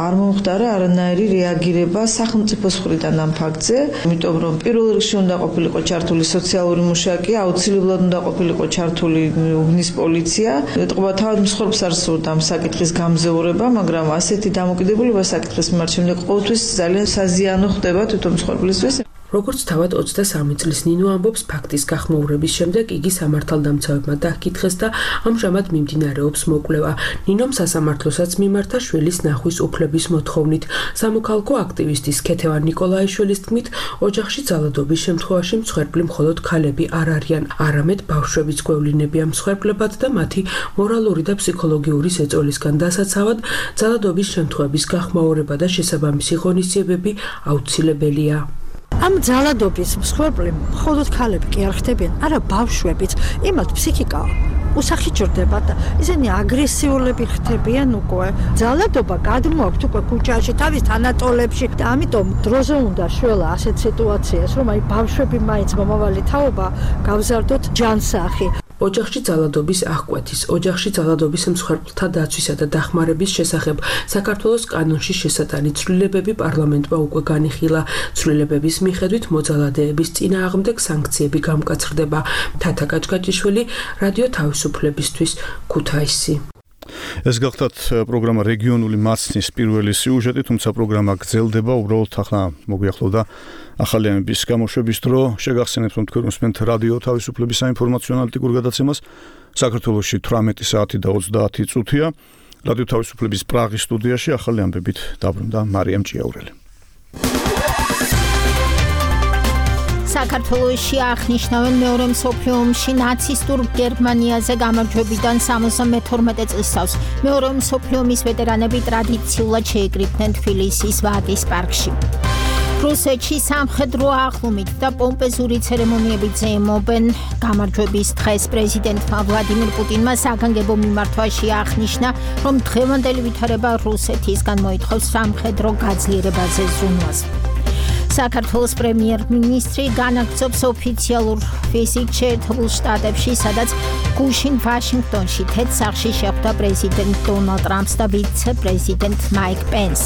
არ მომხდარა არანაირი რეაგირება სახელმწიფოს მხრიდან ამ ფაქტზე, იმიტომ რომ პირველ რიგში უნდა ყოფილიყო ჩართული სოციალური მუშაკი, აუცილებლად უნდა ყოფილიყო ჩართული უბნის პოლიცია. ეტყობა თავად მსხვერპლს არ სურდა ამ საკითხის გამზეურება, მაგრამ ასეთი დამოკიდებულება საკითხის მიმართ შემდეგ ყოველთვის ძალიან საზიანო ხდება თვითონ მსხვერპლისთვის. როგორც თავად 23 წლის ნინო ამბობს, ფაქტის გახმაურების შემდეგ იგი სამართალდამცავებმა დააკითხეს და ამჟამად მიმდინარეობს მოკვლევა. ნინომ სასამართლოსაც მიმართა შვილის ნახვის უფლების მოთხოვნით. სამოქალაქო აქტივისტის ქეთევან ნიკოლაიშვილის თქმით, ოჯახში ძალადობის შემთხვევაში მსხვერპლი მხოლოდ ქალები არ არიან, არამედ ბავშვებიც გვევლინებიან მსხვერპლებად და მათი მორალური და ფსიქოლოგიური ზეწოლისგან დასაცავად ძალადობის შემთხვევების გახმაურება და შესაბამისი ღონისძიებები აუცილებელია. ამ ძალადობის მსხვერპლი მხოლოდ ქალები კი არ ხდებიან, არა ბავშვებიც, იმათ ფსიქიკა უსახიჭრდება და ისინი აგრესიულები ხდებიან უკვე. ძალადობა გადმოაქვთ უკვე ქუჩაში, თავის თანატოლებში და ამიტომ დროზე უნდა შველა ასეთ სიტუაციას, რომ აი ბავშვები მაინც მომავალი თაობა გავზარდოთ ჯანსაღი. ოჯახში ძალადობის აღკვეთის, ოჯახში ძალადობის მსხვერპლთა დაცვისა და დახმარების შესახებ საქართველოს კანონში შესატანი ცვლილებები პარლამენტმა უკვე განიხილა. ცვლილებების მიხედვით მოძალადეების წინააღმდეგ სანქციები გამკაცრდება. თათა გაჭგაჭიშვილი, რადიო თავისუფლებისთვის, ქუთაისი. ეს გახლავთ პროგრამა რეგიონული მაცნის პირველი სიუჟეტი, თუმცა პროგრამა გრძელდება, უბრალოდ ახლა მოგვიახლოვდა ახალიანების გამოშვების დრო. შეგახსენებთ, რომ თქვენ უსმენთ რადიო თავისუფლების საინფორმაციო ანალიტიკურ გადაცემას. საქართველოში 18 საათი და 30 წუთია. რადიო თავისუფლების პრაღის სტუდიაში ახალი ამბებით დაბრუნდა მარიამ ჭიაურელი. საქართველოში აღნიშნავენ მეორე მსოფლიო ომში ნაცისტურ გერმანიაზე გამარჯვებიდან 72 წლისავს. მეორე მსოფლიო ომის ვეტერანები ტრადიციულად შეიკრიბნენ თბილისის ვაკის პარკში. რუსეთში სამხედრო აღლუმით და პომპეზური ცერემონიებით ზეიმობენ გამარჯვების დღეს. პრეზიდენტმა ვლადიმირ პუტინმა საგანგებო მიმართვაში აღნიშნა, რომ დღევანდელი ვითარება რუსეთისგან მოითხოვს სამხედრო გაძლიერებაზე ზრუნვას. საქართველოს პრემიერ-მინისტრი განაგრძობს ოფიციალურ ვიზიტს შეერთებულ შტატებში, სადაც გუშინ ვაშინგტონში თეთრ სახლში შეხვდა პრეზიდენტ დონალდ ტრამპს და ვიცე-პრეზიდენტ მაიკ პენს.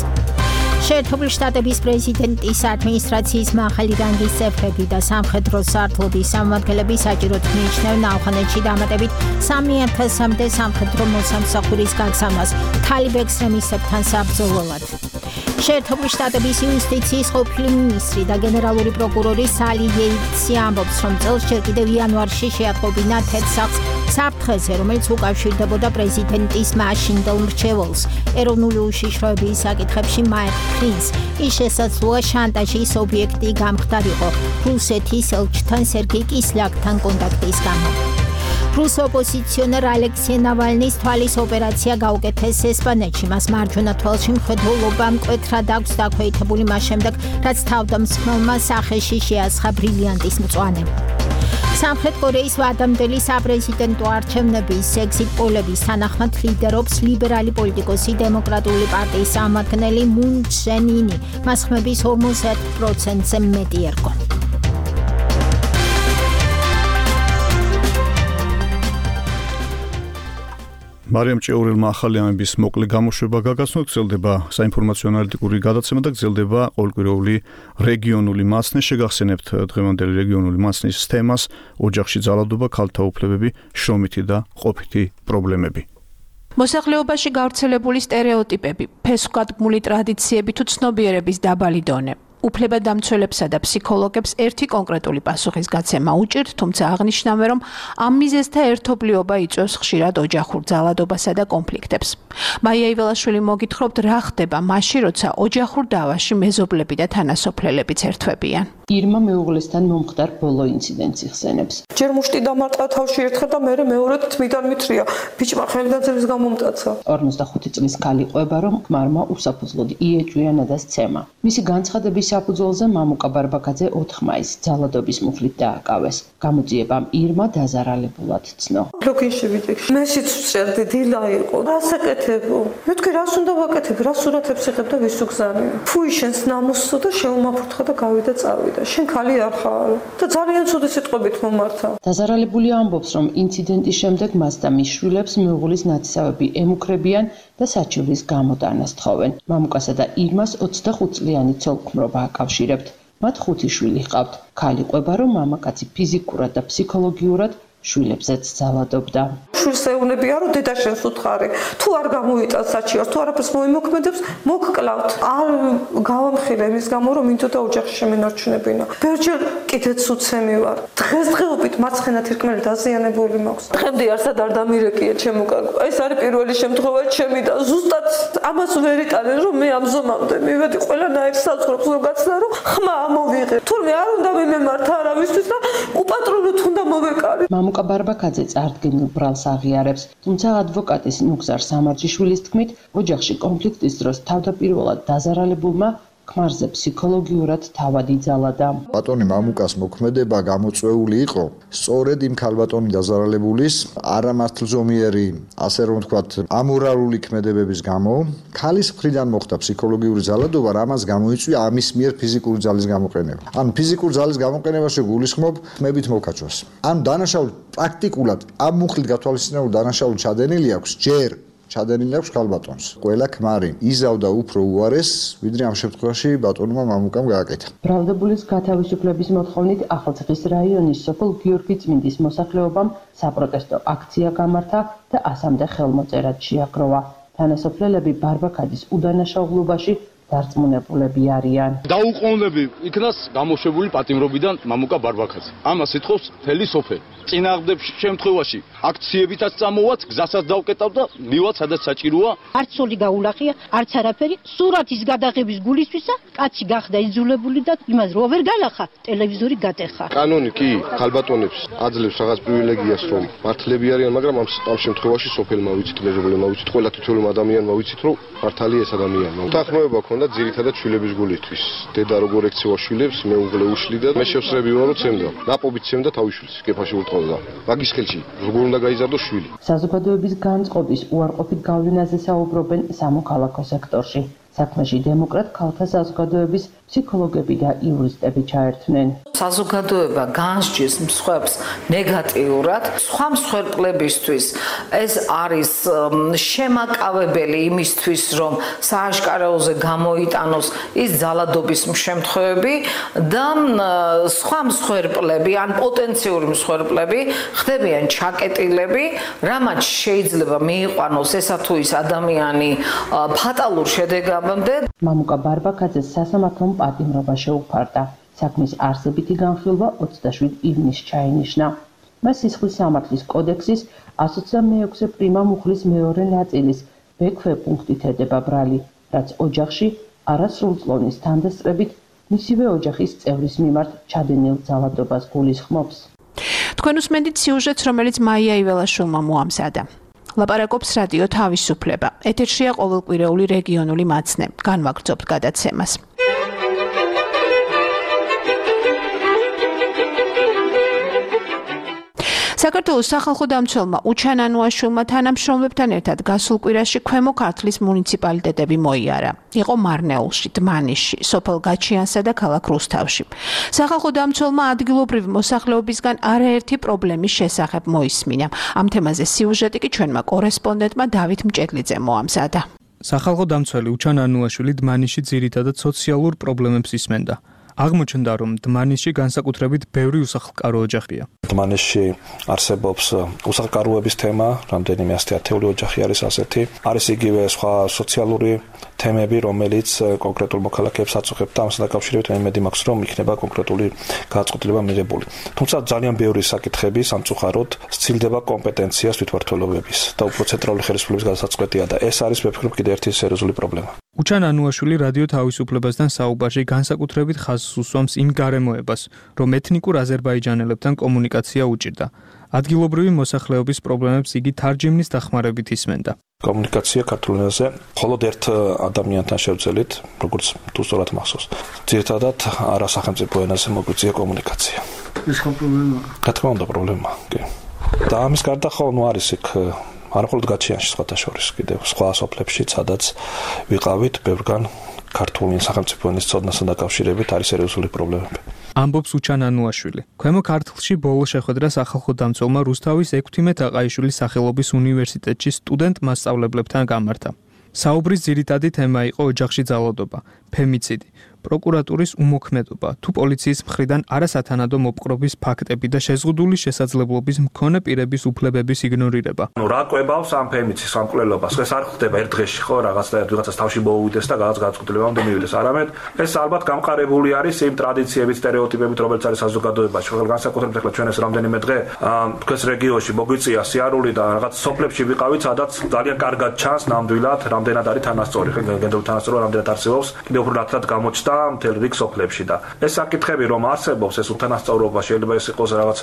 შეერთებული შტატების პრეზიდენტის ადმინისტრაციის მაღალი რანგის წევრები და სამხედრო სარდლობის სამმართველები საჭიროდ მიიჩნევენ ავღანეთში დამატებით 3000-მდე სამხედრო მოსამსახურის გაგზავნას თალიბ ექსტრემისტებთან საბრძოლველად. შეერთებული შტატების იუსტიციის ყოფილი მინისტრი და გენერალური პროკურორი სალი იეიტსი ამბობს, რომ წელს ჯერ კიდევ იანვარში შეატყობინა თეთრ სახლს საფრთხეზე, რომელიც უკავშირდებოდა პრეზიდენტის მაშინდელ მრჩეველს. ეროვნული უშიშროების საკითხებში მაიკ პენს ის შესაძლოა შანტაჟის ობიექტი გამხდარიყო რუსეთის ელჩთან სერგეი კისლიაკთან კონტაქტის გამო. რუს ოპოზიციონერ ალექსეი ნავალნის თვალის ოპერაცია გაუკეთეს ესპანეთში. მას მარჯვენა თვალში მხედველობა მკვეთრად აქვს დაქვეითებული მას შემდეგ, რაც თავდამსხმელმა სახეში შეასხა ბრილიანტის მწვანე. სამხრეთ კორეის ვადამდელი საპრეზიდენტო არჩევნების ეგზიტ პოლების თანახმად ლიდერობს ლიბერალი პოლიტიკოსი დემოკრატიული პარტიის წარმომადგენელი მუნ ჯენ ინი. მას ხმების 50%-ზე მეტი ერგო. მარიამ ჭიაურელმა ახალი ამბების მოკლე გამოშვება გაგაცნო. გრძელდება საინფორმაციო ანალიტიკური გადაცემა და გრძელდება ყოველკვირეული რეგიონული მაცნე. შეგახსენებთ დღევანდელი რეგიონული მაცნის თემას: ოჯახში ძალადობა, ქალთა უფლებები, შრომითი და ყოფითი პრობლემები. მოსახლეობაში გავრცელებული სტერეოტიპები, ფესვგადგმული ტრადიციები თუ ცნობიერების დაბალი დონე. უფლებადამცველებსა და ფსიქოლოგებს ერთი კონკრეტული პასუხისგაცემა უჭირთ, თუმცა აღნიშნავენ, რომ ამ მიზეზთა ერთობლიობა იწვევს ხშირად ოჯახურ ძალადობასა და კონფლიქტებს. მაია იველაშვილი მოგითხრობთ, რა ხდება მაშინ, როცა ოჯახურ დავაში მეზობლები და თანასოფლელებიც ერთვებიან. ირმა მეუღლესთან მომხდარ ბოლო ინციდენტს იხსენებს. ჯერ მუშტი დამარტყა თავში ერთხელ და მერე მეორედ თმიდან მითხრია, ბიჭმა ხელგაძების გამომტაცა. 45 წლის ქალი ყვება, რომ ხმარმა უსაფუძვლოდ იეჭვია ნადას ცემა. მისი განცხადების საფუძველზე მამუკა ბარბაკაძე 4 მაისს ძალადობის მუხლით დააკავეს. გამოძიებამ ირმა დაზარალებულად ცნო. ბლოკინში ვიდექ. მე სიცოცხლე დილა იყო. რასაკეთებო? მე თქვი რას უნდა ვაკეთებ? რა სურათებს იღებ და ვის უგზავნე? ფუი შენს ნამოსსო და შეუმაფრთხა და გავიდა წავიდა. შენ ქალი არ ხარ და ძალიან ცუდი სიტყვებით მომართა. დაზარალებული ამბობს, რომ ინციდენტის შემდეგ მას და მის შვილებს მეუღლის ნათესავები ემუქრებიან და საჩივრის გამოტანას თხოვენ. მამუკასა და ირმას 25 წლიანი ცოლ-ქმრობა აკავშირებთ. მათ 5 შვილი ჰყავთ. ქალი ყვება, რომ მამაკაცი ფიზიკურად და ფსიქოლოგიურად შვილებზეც ძალადობდა. შვილს ეუბნებია, რომ დედა შენს უთხარი. თუ არ გამოიტანს საჩივარს, თუ არაფერს მოიმოქმედებს, მოგკლავთ. არ გავამხილე მის გამო, რომ მინდოდა ოჯახში შემენარჩუნებინა. ბერჯერ კიდეც უცემი ვარ. დღესდღეობით მარცხენა თირკმელი დაზიანებული მაქვს. დღემდე არსად არ დამირეკია ჩემო კარგო. ეს არის პირველი შემთხვევა ჩემი და ზუსტად ამას ვერ იტანენ, რომ მე ამ ზომამდე მივედი ყველანაირ საზღვრებს რომ გაცდა, რომ ხმა ამოვიღე. თურმე არ უნდა მიმემართა არავისთვის და უპატრონოდ უნდა მოვეკარე. მამუკა ბარბაკაძე წარდგენილ ბრალს აღიარებს, თუმცა ადვოკატის ნუგზარ სამარჯიშვილის თქმით, ოჯახში კონფლიქტის დროს თავდაპირველად დაზარალებულმა ქმარზე ფსიქოლოგიურად თავადი ძალადა. ბატონი მამუკას მოქმედება გამოწვეული იყო სწორედ იმ ქალბატონი დაზარალებულის არამართლზომიერი, ასე რომ ვთქვათ, ამორალური ქმედებების გამო, ქალის მხრიდან მოხდა ფსიქოლოგიური ძალადობა, რამაც გამოიწვია ამის მიერ ფიზიკური ძალის გამოყენება. ანუ ფიზიკური ძალის გამოყენებაში გულისხმობ ხმებით მოკაჭვას. ანუ დანაშაული პრაქტიკულად ამ მუხლით გათვალისწინებული დანაშაული ჩადენილი აქვს ჯერ ჩადენილი აქვს ქალბატონს. ყველა ქმარი იზავდა უფრო უარეს, ვიდრე ამ შემთხვევაში ბატონმა მამუკამ გააკეთა. ბრალდებულის გათავისუფლების მოთხოვნით ახალციხის რაიონის სოფელ გიორგი წმინდის მოსახლეობამ საპროტესტო აქცია გამართა და ასამდე ხელმოწერად შეაგროვა. თანასოფლელები ბარბაქაძის უდანაშაულობაში დარწმუნებულები არიან. დაუყოვნები იქნას გამოშვებული პატიმრობიდან მამუკა ბარბაქაძე. ამას ეთხოვს მთელი სოფელი. წინააღმდეგ შემთხვევაში აქციებითაც წამოვაც, გზასაც დავკეტავ და მივაც სადაც საჭიროა. არც სული გაულახია, არც არაფერი, სურათის გადაღების გულისთვისა, კაცი გახდა იძულებული და იმას რო ვერ განახა, ტელევიზორი გატეხა. კანონი კი ქალბატონებს აძლევს რაღაც პრივილეგიას, რომ მართლები არიან, მაგრამ ამ შემთხვევაში სოფელმა ვიცით, მეზობლებმა ვიცით, ყველა თითოეულ ადამიანმა ვიცით, რომ მართალი ეს ადამიანია. უთანხმოება ქონდა ძირითადად შვილების გულისთვის. დედა როგორ ექცევა შვილებს, მეუღლე უშლიდა, მე შევსრები ვარ, რომ ცემდა. ნაპობით ცემდა თავის შვილს, კეფაში ულტყოდა. მაგის ხელში როგორ უნდა გაიზარდოს შვილი. საზოგადოების განწყობის უარყოფით გავლენაზე საუბრობენ სამოქალაქო სექტორში. საქმეში დემოკრატ ქალთა საზოგადოების ფსიქოლოგები და იურისტები ჩაერთვნენ. საზოგადოება განსჯის მსხვერპლს ნეგატიურად, სხვა მსხვერპლებისთვის ეს არის შემაკავებელი იმისთვის, რომ სააშკარაოზე გამოიტანოს ის ძალადობის შემთხვევები და სხვა მსხვერპლები ან პოტენციური მსხვერპლები ხდებიან ჩაკეტილები, რამაც შეიძლება მიიყვანოს ესა თუ ის ადამიანი ფატალურ შედეგად. მამუკა ბარბაქაძეს სასამართლომ პატიმრობა შეუფარდა. საქმის არსებითი განხილვა 27 ივნისს ჩაინიშნა. მას სისხლის სამართლის კოდექსის 126 პრიმა მუხლის მეორე ნაწილის ბექვე პუნქტით ედება ბრალი, რაც ოჯახში არასრულწლოვნის თანდასწრებით მისივე ოჯახის წევრის მიმართ ჩადენილ ძალადობას გულისხმობს. თქვენ უსმენთ სიუჟეტს, რომელიც მაია იველაშვილმა მოამზადა. ლაპარაკობს რადიო თავისუფლება. ეთერშია ყოველკვირეული რეგიონული მაცნე. განვაგრძობთ გადაცემას. საქართველოს სახალხო დამცველმა უჩან ანუაშვილმა თანამშრომლებთან ერთად გასულ კვირაში ქვემო ქართლის მუნიციპალიტეტები მოიარა. იყო მარნეულში, დმანიშში, სოფელ გაჩიანსა და ქალაქ რუსთავში. სახალხო დამცველმა ადგილობრივი მოსახლეობისგან არაერთი პრობლემის შესახებ მოისმინა. ამ თემაზე სიუჟეტი კი ჩვენმა კორესპონდენტმა დავით მჭედლიძემ მოამზადა. სახალხო დამცველი უჩან ანუაშვილი დმანიშში ძირითადად სოციალურ პრობლემებს ისმენდა. აღმოჩნდა, რომ დმანიშში განსაკუთრებით ბევრი უსახლკარო ოჯახია. დმანიშში არსებობს უსახლკაროების თემა, რამდენიმე ათეული ოჯახი არის ასეთი. არის იგივე სხვა სოციალური თემები, რომელიც კონკრეტულ მოქალაქეებს აწუხებთ და ამასთან დაკავშირებით მე იმედი მაქვს, რომ იქნება კონკრეტული გადაწყვეტილება მიღებული. თუმცა ძალიან ბევრი საკითხები სამწუხაროდ სცილდება კომპეტენციას თვითმმართველობების და უფრო ცენტრალური ხელისუფლების გადასაწყვეტია და ეს არის მე ვფიქრობ კიდევ ერთი სერიოზული პრობლემა. უჩან ანუაშვილი რადიო თავისუფლებასთან საუბარში განსაკუთრებით ხაზს უსვამს იმ გარემოებას, რომ ეთნიკურ აზერბაიჯანელებთან კომუნიკაცია უჭირდა. ადგილობრივი მოსახლეობის პრობლემებს იგი თარჯიმნის დახმარებით ისმენდა. კომუნიკაცია ქართულ ენაზე მხოლოდ ერთ ადამიანთან შევძელით, როგორც თუ სწორად მახსოვს. ძირითადად არასახელმწიფო ენაზე მოგვიწია კომუნიკაცია. ეს ხო პრობლემაა? რა თქმა უნდა პრობლემაა, კი. და ამის გარდა ხო არის იქ არა მხოლოდ გაჩიანში სხვათა შორის, კიდევ სხვა სოფლებში, სადაც ვიყავით ბევრგან ქართული სახელმწიფო ენის ცოდნასთან დაკავშირებით არის სერიოზული პრობლემები. ამბობს უჩან ანუაშვილი. ქვემო ქართლში ბოლო შეხვედრა სახალხო დამცველმა რუსთავის 16 აყაიშვილის სახელობის უნივერსიტეტში სტუდენტ მასწავლებლებთან გამართა. საუბრის ძირითადი თემა იყო ოჯახში ძალადობა, ფემიციდი, პროკურატურის უმოქმედობა, თუ პოლიციის მხრიდან არასათანადო მოპყრობის ფაქტები და შეზღუდული შესაძლებლობის მქონე პირების უფლებების იგნორირება. რა კვებავს ამ ფემიციდს, ამ კვლელობას? ეს არ ხდება ერთ დღეში, ხო, რაღაცას თავში მოუვიდეს და გადაწყვეტილებამდე მივიდეს. არამედ ეს ალბათ გამყარებული არის იმ ტრადიციებით, სტერეოტიპებით, რომელიც არის საზოგადოებაში. ხო, განსაკუთრებით ახლა ჩვენ ეს რამდენიმე დღე თქვენს რეგიონში მოგვიწია სიარული და რაღაც სოფლებში ვიყავით, სადაც ძალიან კარგად ჩანს ნამდვილად რამდენად არის თანასწორი, ხო, გენდერული თანასწორობა რამდენად არსებობს, კიდევ უფრო ნათლად გამოჩნდა მთელ რიგ სოფლებში და ეს საკითხები რომ არსებობს ეს უთანასწორობა შეიძლება ეს იყოს რაღაც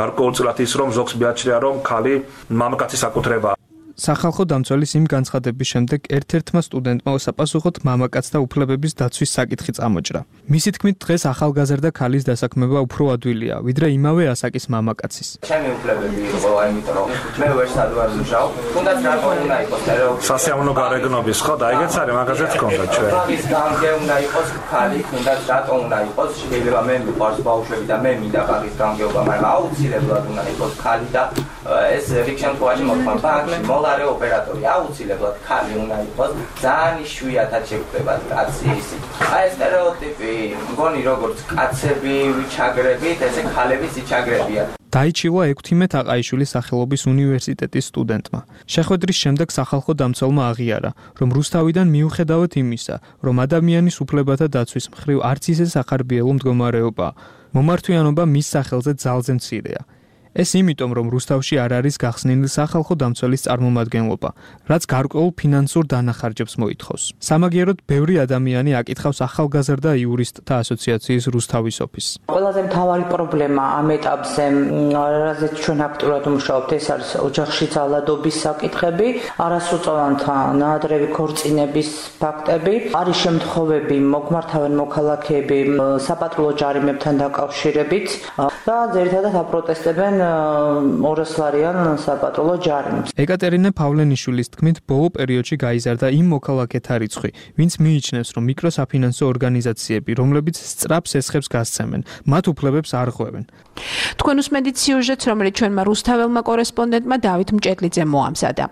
გარკვეულწილად ის რომ ზოგს მიაჩნია რომ ქალი მამაკაცის საკუთრებაა. სახალხო დამცველის იმ განცხადების შემდეგ ერთ-ერთმა სტუდენტმა უსაფასუხოდ მამაკაცთა უფლებების დაცვის საკითხი წამოჭრა. მისი თქმით, დღეს ახალგაზრდა ქალის დასაქმება უფრო ადვილია, ვიდრე იმავე ასაკის მამაკაცის. ჩემი უფლებები იყო, იმიტომ რომ მე ვერ სადვარ მუშაობ, თუნდაც რატომ უნდა იყოს სასიამოვნო გარეგნობის ხო და ეგეც არის მაგაზეც გქონდა ჩვენ. ის გამგე უნდა იყოს ქალი, თუნდაც რატომ უნდა იყოს, შეიძლება მე მიყვარს ბავშვები და მე მინდა ბაღის გამგეობა, მაგრამ აუცილებლად უნდა იყოს ქალი და ეს რიგ შემთხვევაში მოხდა ბანკში მოლარე ოპერატორი აუცილებლად ქალი უნდა იყოს, ძალიან იშვიათად შეგვხვდება კაცი ისი. აი ეს სტერეოტიპი, მგონი როგორც კაცები ვიჩაგრებით, ესე ქალებიც იჩაგრებიან. დაიჩილა 16 აყაიშვილის სახელობის უნივერსიტეტის სტუდენტმა. შეხვედრის შემდეგ სახალხო დამცველმა აღიარა, რომ რუსთავიდან მიუხედავად იმისა, რომ ადამიანის უფლებათა დაცვის მხრივ არც ისე სახარბიელო მდგომარეობაა, მომართვიანობა მის სახელზე ძალზე მცირეა. ეს იმიტომ, რომ რუსთავში არ არის გახსნილი სახალხო დამცველის წარმომადგენლობა, რაც გარკვეულ ფინანსურ დანახარჯებს მოითხოვს. სამაგიეროდ, ბევრი ადამიანი აკითხავს ახალგაზრდა იურისტთა ასოციაციის რუსთავის ოფისს. ყველაზე მთავარი პრობლემა ამ ეტაპზე, რაზეც ჩვენ აქტიურად ვმუშაობთ, ეს არის ოჯახში ძალადობის საკითხები, არასრულწლოვანთა ნაადრევი ქორწინების ფაქტები, არის შემთხვევები, მოგმართავენ მოქალაქეები საპატრულო ჯარიმებთან დაკავშირებით და ძირითადად აპროტესტებენ 200 ლარიან საპატრულო ჯარიმს. ეკატერინე პავლენიშვილის თქმით, ბოლო პერიოდში გაიზარდა იმ მოქალაქეთა რიცხვი, ვინც მიიჩნევს, რომ მიკროსაფინანსო ორგანიზაციები, რომლებიც სწრაფს ესხებს გასცემენ, მათ უფლებებს არ ღვევენ. თქვენ უსმენთ სიუჟეტს, რომელიც ჩვენმა რუსთაველმა კორესპონდენტმა დავით მჭედლიძემ მოამზადა.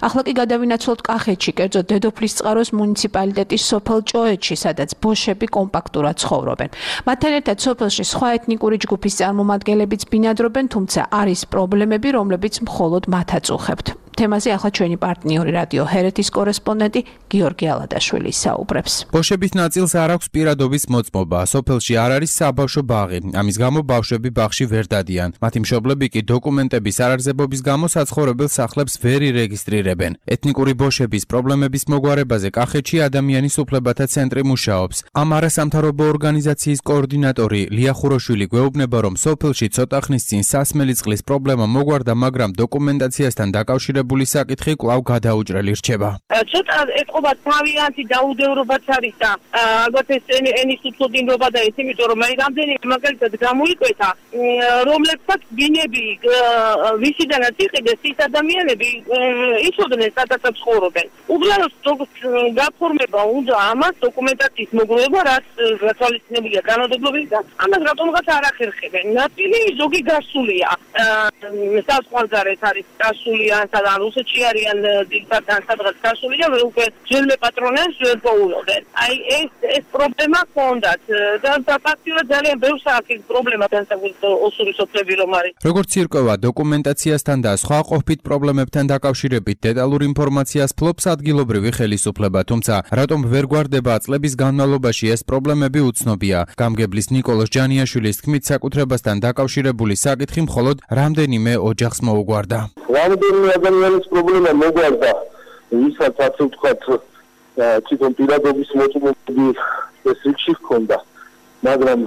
ახლა კი გადავინაცვლოთ კახეთში, კერძოდ დედოფლის წყაროს მუნიციპალიტეტის სოფელ ჭოეთში, სადაც ბოშები კომპაქტურად ცხოვრობენ. მათთან ერთად სოფელში სხვა ეთნიკური ჯგუფის წარმომადგენლებიც ბინადრობენ, თუმცა არის პრობლემები, რომლებიც მხოლოდ მათ აწუხებთ. თემაზე ახლა ჩვენი პარტნიორი რადიო ჰერეთის კორესპონდენტი გიორგი ალადაშვილი საუბრებს. ბოშების ნაწილს არ აქვს პირადობის მოწმობა. სოფელში არ არის საბავშვო ბაღი. ამის გამო ბავშვები ბაღში ვერ დადიან. მათი მშობლები კი დოკუმენტების არარსებობის გამო საცხოვრებელ სახლებს ვერ ირეგისტრირებენ. ეთნიკური ბოშების პრობლემების მოგვარებაზე კახეთში ადამიანის უფლებათა ცენტრი მუშაობს. ამ არასამთავრობო ორგანიზაციის კოორდინატორი ლია ხუროშვილი გვეუბნება, რომ სოფელში ცოტა ხნის წინ სასმელი წყლის პრობლემა მოგვარდა, მაგრამ დოკუმენტაციასთან დაკავშირებული საკითხი კვლავ გადაუჭრელი რჩება. ცოტა ეთყობა თავიანთი დაუდევრობაც არის და ალბათ ეს ენის უცოდინობა და ეს იმიტომ რომ მე რამდენიმე მაგალითად გამოიკვეთა, რომლებსაც ბინები ვისიდანაც იყიდეს ის ადამიანები იცოდნენ სადაც ცხოვრობენ. უბრალოდ გაფორმება უნდა ამას დოკუმენტაციის მოგროვება, რაც გათვალისწინებულია განადობლობის და ამას რატომღაც არ ახერხებენ. ნაწილი ზოგი გასულია. საზღვარგარეთ არის გასულია, სადაც რუსეთში არიან დიქტატორთან სადღაც გასული და უკვე ძველი პატრონებს ვერ პოულობენ. აი ეს პრობლემა ჰქონდათ და ფაქტიურად ძალიან ბევრ საკითხ პრობლემა განსაკუთრებით ოსური სოფლები რომ არის. როგორც ირკვევა დოკუმენტაციასთან და სხვა ყოფით პრობლემებთან დაკავშირებით დეტალურ ინფორმაციას ფლობს ადგილობრივი ხელისუფლება, თუმცა რატომ ვერ გვარდება წლების განმავლობაში ეს პრობლემები უცნობია. გამგებლის ნიკოლოზ ჯანიაშვილის თქმით, საკუთრებასთან დაკავშირებული საკითხი მხოლოდ რამდენიმე ოჯახს მოუგვარდა. რამდენიმე ადამიანის პრობლემა მოგვარდა, ვისაც ასე ვთქვათ, თვითონ პირადობის მოწმობები ეს რიგში ჰქონდა, მაგრამ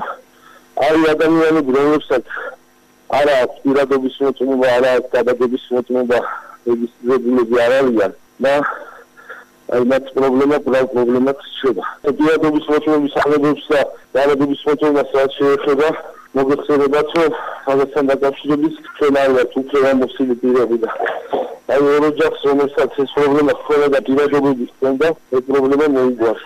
არის ადამიანები, რომლებსაც არა აქვს პირადობის მოწმობა, არა აქვს გადაგების მოწმობა, რეგისტრირებულები არ არიან და აი მათ პრობლემაც რჩება. პირადობის მოწმობის აღებებს და გადაგების მოწმობას რაც შეეხება მოგეხსენებათ, რომ ამასთან დაკავშირებით ჩვენ არ ვართ უფლება მოსილი პირები და აი ორ ოჯახს რომელსაც ეს პრობლემა ჰქონდა და პირადობები ჰქონდა, ეს პრობლემა მოიგვარს.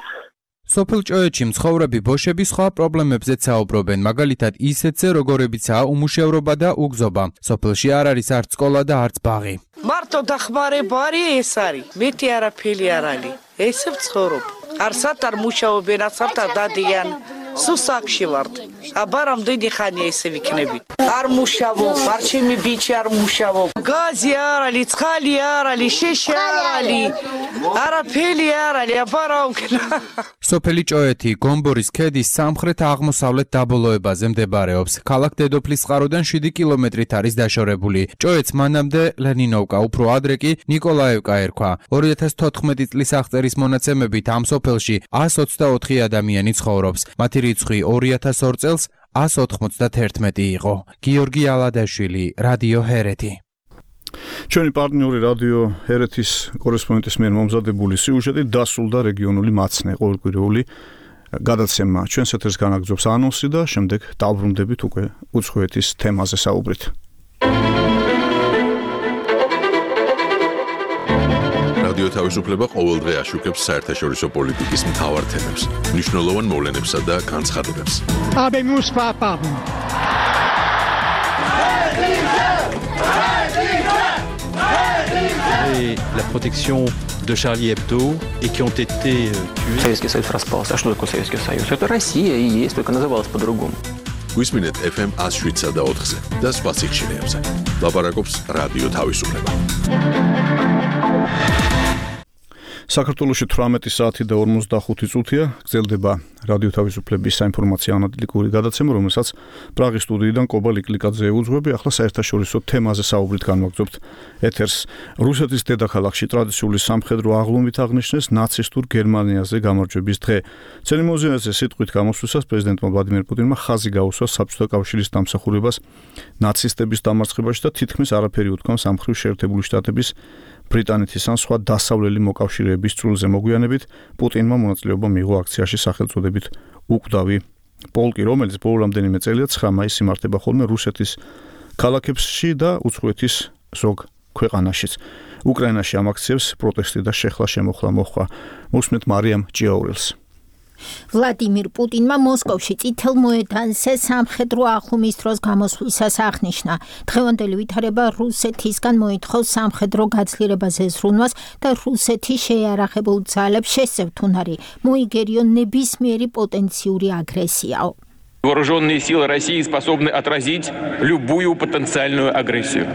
სოფელ ჭოეთში მცხოვრები ბოშები სხვა პრობლემებზეც საუბრობენ, მაგალითად ისეთზე, როგორებიცაა უმუშევრობა და უგზობა. სოფელში არ არის არც სკოლა და არც ბაღი. მარტო დახმარება არის ეს არის. მეტი არაფერი არ არის. ესე ვცხოვრობ. არსად არ მუშაობენ, არსად არ დადიან. სუსაკში ვართ. აბა რამდენი ხანია ესე ვიქნები. არ მუშაობ, არ ჩემი ბიჭი არ მუშაობ. გაზი არ არის, ცხალი არ არის, შეშე არ არის. არაფერი არ არის, აბა რა ვქნა. სოფელი ჭოეთი გომბორის ქედის სამხრეთ-აღმოსავლეთ დაბოლოებაზე მდებარეობს. ქალაქ დედოფლის წყაროდან 7 კილომეტრით არის დაშორებული. ჭოეთს მანამდე ლენინოვკა, უფრო ადრე კი ნიკოლაევკა ერქვა. 2014 წლის აღწერის მონაცემებით ამ სოფელში 124 ადამიანი ცხოვრობს. მათი რიცხვი 2002 წელს 191 იყო. გიორგი ალადაშვილი, რადიო ჰერეთი. ჩვენი პარტნიორი რადიო ერეთის კორესპონდენტის მიერ მომზადებული სიუჟეტი დასრულდა რეგიონული მაცნე ყოველკვირეული გადაცემა. ჩვენს ეთერს განაგრძობს ანონსი და შემდეგ დავბრუნდებით უკვე უცხოეთის თემაზე საუბრით. რადიო თავისუფლება ყოველდღე აშუქებს საერთაშორისო პოლიტიკის მთავარ თემებს, მნიშვნელოვან მოვლენებსა და განცხადებებს. Et la protection de Charlie Hebdo et qui ont été tués. Советский Союз распался. А что такое Советский Союз? Это Россия и есть, только называлась по-другому. Გვისმინეთ FM 107 და 4-ზე და სხვა სიხშირეებზე. ლაპარაკობს რადიო თავისუფლება. საქართველოში 18 საათი და 45 წუთია გრძელდება რადიო თავისუფლების საინფორმაციო ანალიტიკური გადაცემა, რომელსაც პრაღის სტუდიიდან კობა ლიკლიკაძე ეუძღვები. ახლა საერთაშორისო თემაზე საუბრით განვაგრძობთ ეთერს. რუსეთის დედაქალაქში ტრადიციული სამხედრო აღლუმით აღნიშნეს ნაცისტურ გერმანიაზე გამარჯვების დღე. ცერემონიაზე სიტყვით გამოსვლისას პრეზიდენტმა ვლადიმერ პუტინმა ხაზი გაუსვა საბჭოთა კავშირის დამსახურებას ნაცისტების დამარცხებაში და თითქმის არაფერი უთქვა სამხრეთ შეერთებული შტატების ბრიტანეთის ან სხვა დასავლელი მოკავშირეების წრულზე მოგვიანებით პუტინმა მონაწილეობა მიიღო აქციაში სახელწოდებით უკვდავი პოლკი, რომელიც ბოლო რამდენიმე წელია 9 მაისს იმართება ხოლმე რუსეთის ქალაქებში და უცხოეთის ზოგ ქვეყანაშიც. უკრაინაში ამ აქციებს პროტესტი და შეხლა შემოხლა მოხდა. მოსმენთ მარიამ ჭიაურელს. ვლადიმირ პუტინმა მოსკოვში წითელ მოედანზე სამხედრო აღლუმის დროს გამოსვლისას აღნიშნა. დღევანდელი ვითარება რუსეთისგან მოითხოვს სამხედრო გაძლიერებაზე ზრუნვას და რუსეთის შეიარაღებულ ძალებს შესევთუნარი მოიგერიონ ნებისმიერი პოტენციური აგრესიაო. Вооруженные силы России способны отразить любую потенциальную агрессию.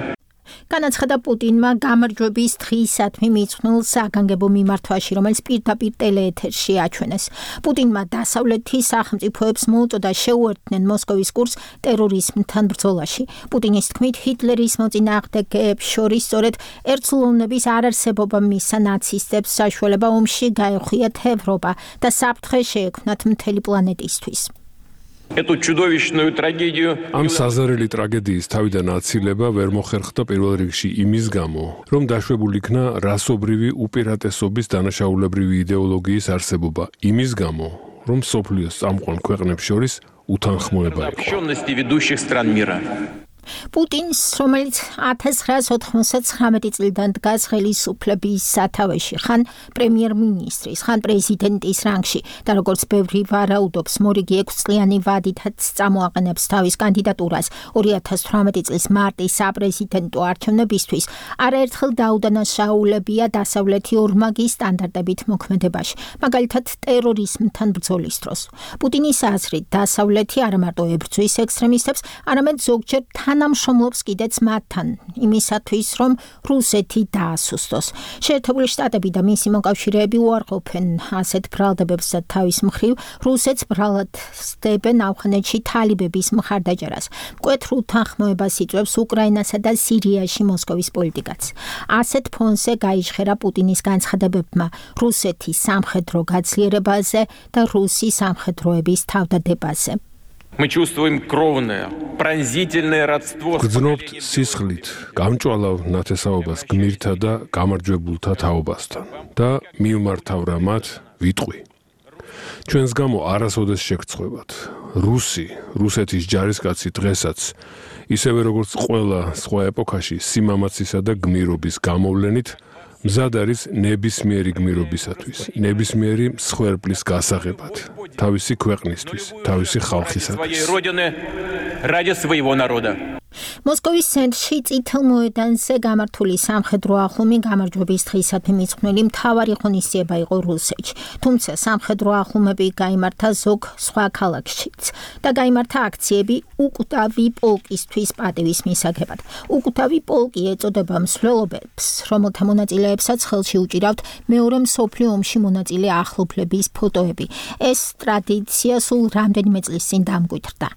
განაცხადა პუტინმა გამარჯვების დღისადმი მიძღვნილ საგანგებო მიმართვაში, რომელიც პირდაპირ ტელეეთერში აჩვენეს. პუტინმა დასავლეთის სახელმწიფოებს მოუწოდა შეუერთდნენ მოსკოვის კურსს ტერორიზმთან ბრძოლაში. პუტინის თქმით, ჰიტლერის მოწინააღმდეგეებს შორის სწორედ ერთლოვნების არარსებობა მისცა ნაცისტებს საშუალება ომში გაეხვიათ ევროპა და საფრთხე შეექმნათ მთელი პლანეტისთვის. Эту чудовищную трагедию ამ საზარელი ტრაგედიის თავიდან აცილება ვერ მოხერხდა პირველ რიგში იმის გამო, რომ დაშვებული იქნა რასობრივი უპირატესობის დანაშაულებრივი იდეოლოგიის არსებობა, იმის გამო, რომ სოფლიოს წამყვან ქვეყნებს შორის უთანხმოება იყო. პუტინს, რომელიც 1999 წლიდან დგას ხელისუფლების სათავეში, ხან პრემიერ-მინისტრის, ხან პრეზიდენტის რანგში და როგორც ბევრი ვარაუდობს, მორიგი 6 წლიანი ვადითაც წამოაყენებს თავის კანდიდატურას 2018 წლის მარტის საპრეზიდენტო არჩევნებისთვის, არაერთხელ დაუდანაშაულებია დასავლეთი ორმაგი სტანდარტებით მოქმედებაში, მაგალითად ტერორიზმთან ბრძოლის დროს. პუტინის აზრით, დასავლეთი არა მარტო ებრძვის ექსტრემისტებს, არამედ ზოგჯერ თანამშრომლობს კიდეც მათთან, იმისათვის, რომ რუსეთი დაასუსტოს. შეერთებული შტატები და მისი მოკავშირეები უარყოფენ ასეთ ბრალდებებს და თავის მხრივ რუსეთს ბრალად სდებენ ავღანეთში თალიბების მხარდაჭერას. მკვეთრ უთანხმოებას იწვევს უკრაინასა და სირიაში მოსკოვის პოლიტიკაც. ასეთ ფონზე გაიჟღერა პუტინის განცხადებებმა რუსეთის სამხედრო გაძლიერებაზე და რუსი სამხედროების თავდადებაზე. Мы чувствуем кровное, пронзительное родство. გძნობთ სისხლით გამჭვალავ ნათესაობას გმირთა და გამარჯვებულთა თაობასთან და მივმართავ მათ ვიტყვი. ჩვენს გამო არასოდეს შეგწყვებათ. რუსეთის ჯარისკაცი დღესაც ისევე როგორც ყველა სხვა ეპოქაში სიმამაცისა და გმირობის გამოვლენით მზად არის ნებისმიერი გმირობისათვის, ნებისმიერი მსხვერპლის გასაღებად, თავისი ქვეყნისთვის, თავისი ხალხისათვის. მოსკოვის ცენტრში წითელ მოედანზე გამართული სამხედრო აღლუმი გამარჯვების დღისადმი მიძღვნილი მთავარი ღონისძიება იყო რუსეთში. თუმცა სამხედრო აღლუმები გაიმართა ზოგ სხვა ქალაქშიც და გაიმართა აქციები უკვდავი პოლკისთვის პატივის მისაღებად. უკვდავი პოლკი ეწოდება მსვლელობებს, რომელთა მონაწილეებსაც ხელში უჭირავთ მეორე მსოფლიო ომში მონაწილე ახლობლების ფოტოები. ეს ტრადიცია სულ რამდენიმე წლის წინ დამკვიდრდა.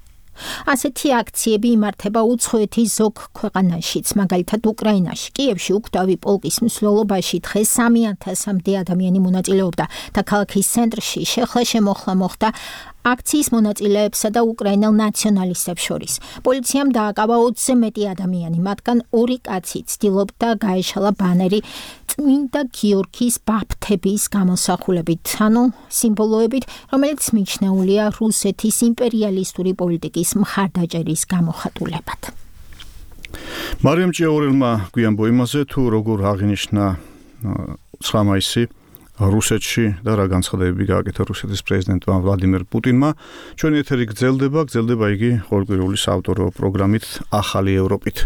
ასეთი აქციები იმართება უცხოეთის ზოგ ქვეყანაშიც, მაგალითად უკრაინაში. კიევში უკვდავი პოლკის მსვლელობაში დღეს 3000-მდე ადამიანი მონაწილეობდა და ქალაქის ცენტრში შეხლა-შემოხლა მოხდა აქციის მონაწილეებსა და უკრაინელ ნაციონალისტებს შორის. პოლიციამ დააკავა 20-ზე მეტი ადამიანი, მათგან 2 კაცი ცდილობდა გაეშალა ბანერი წმინდა გიორგის ბაფთების გამოსახულებით, ანუ სიმბოლოებით, რომელიც მიჩნეულია რუსეთის იმპერიალისტური პოლიტიკის მხარდაჭერის გამოხატულებად. მარიამ ჭიაურელმა გვიანბო იმაზე, თუ როგორ აღინიშნა 9 მაისი რუსეთში და რა განცხადებები გააკეთა რუსეთის პრეზიდენტმა ვლადიმერ პუტინმა. ჩვენი ეთერი გრძელდება იგი ყოველკვირეული საავტორო პროგრამით ახალი ევროპით.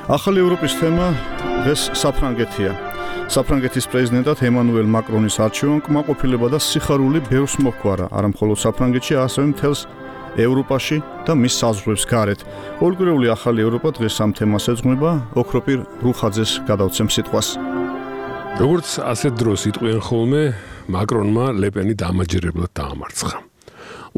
ახალი ევროპის თემა დღეს საფრანგეთია. საფრანგეთის პრეზიდენტად ემანუელ მაკრონის არჩევამ კმაყოფილება და სიხარული ბევრს მოჰგვარა, არა მხოლოდ საფრანგეთში, ასევე მთელს ევროპაში და მის საზღვრებს გარეთ. ყოველკვირეული ახალი ევროპა დღეს ამ თემას ეძღვნება, ოქროპირ რუხაძეს გადავცემ სიტყვას. როგორც ასეთ დროს იტყვიან ხოლმე, მაკრონმა ლეპენი დამაჯერებლად დაამარცხა.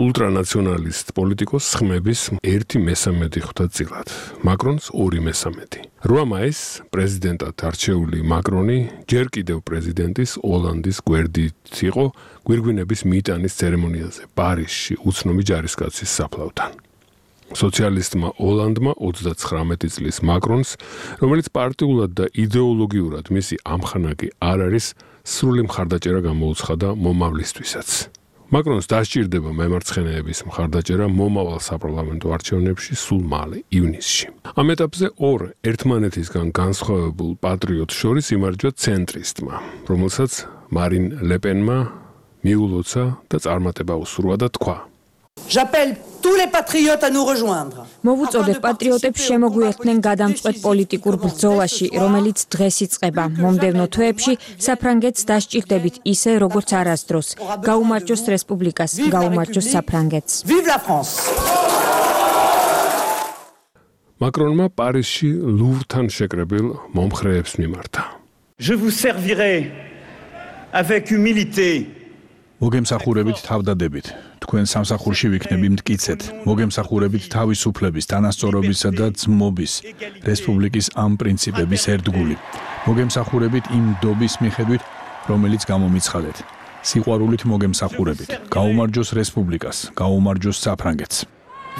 ულტრანაციონალისტ პოლიტიკოს ხმების 1/3 ხვდა წილად. მაკრონს 2/3. 8 მაისს პრეზიდენტად არჩეული მაკრონი ჯერ კიდევ პრეზიდენტის ოლანდის გვერდით იყო გვირგვინების მიტანის ცერემონიაზე პარიზში უცნობი ჯარისკაცის საფლავთან. სოციალისტმა ოლანდმა 39 წლის მაკრონს, რომელიც პარტიულად და იდეოლოგიურად მისი ამხანაგი არ არის, სრული მხარდაჭერა გამოუცხადა მომავლისთვისაც. მაკრონს დასჭირდება მემარცხენეების მხარდაჭერა მომავალ საპარლამენტო არჩევნებში სულ მალე, ივნისში. ამ ეტაპზე 2 ერთმანეთისგან განსხვავებულ პატრიოტს შორის იმარჯვა ცენტრისტმა, რომელსაც მარინ ლეპენმა მიულოცა და წარმატება უსურვა და თქვა: J'appelle tous les patriotes à nous rejoindre. მოვუწოდებ პატრიოტებს შემოგვიერთდნენ გადამწყვეტ პოლიტიკურ ბრძოლაში, რომელიც დღეს იწყება. მომდევნო თვეებში საფრანგეთს დასჭირდებით ისე, როგორც არასდროს. გაუმარჯოს რესპუბლიკას, გაუმარჯოს საფრანგეთს. Vive la France. მაკრონმა პარიზში ლუვრთან შეკრებილ მომხრეებს მიმართა. Je vous servirai avec humilité. მოგემსახურებით თავდადებით. თქვენ სამსახურში ვიქნები მტკიცეთ. მოგემსახურებით თავისუფლების, თანასწორობისა და ძმობის, რესპუბლიკის ამ პრინციპების ერთგული. მოგემსახურებით იმ დობის მიხედვით, რომელიც გამომიცხადეთ. სიყვარულით მოგემსახურებით. გაუმარჯოს რესპუბლიკას, გაუმარჯოს საფრანგეთს.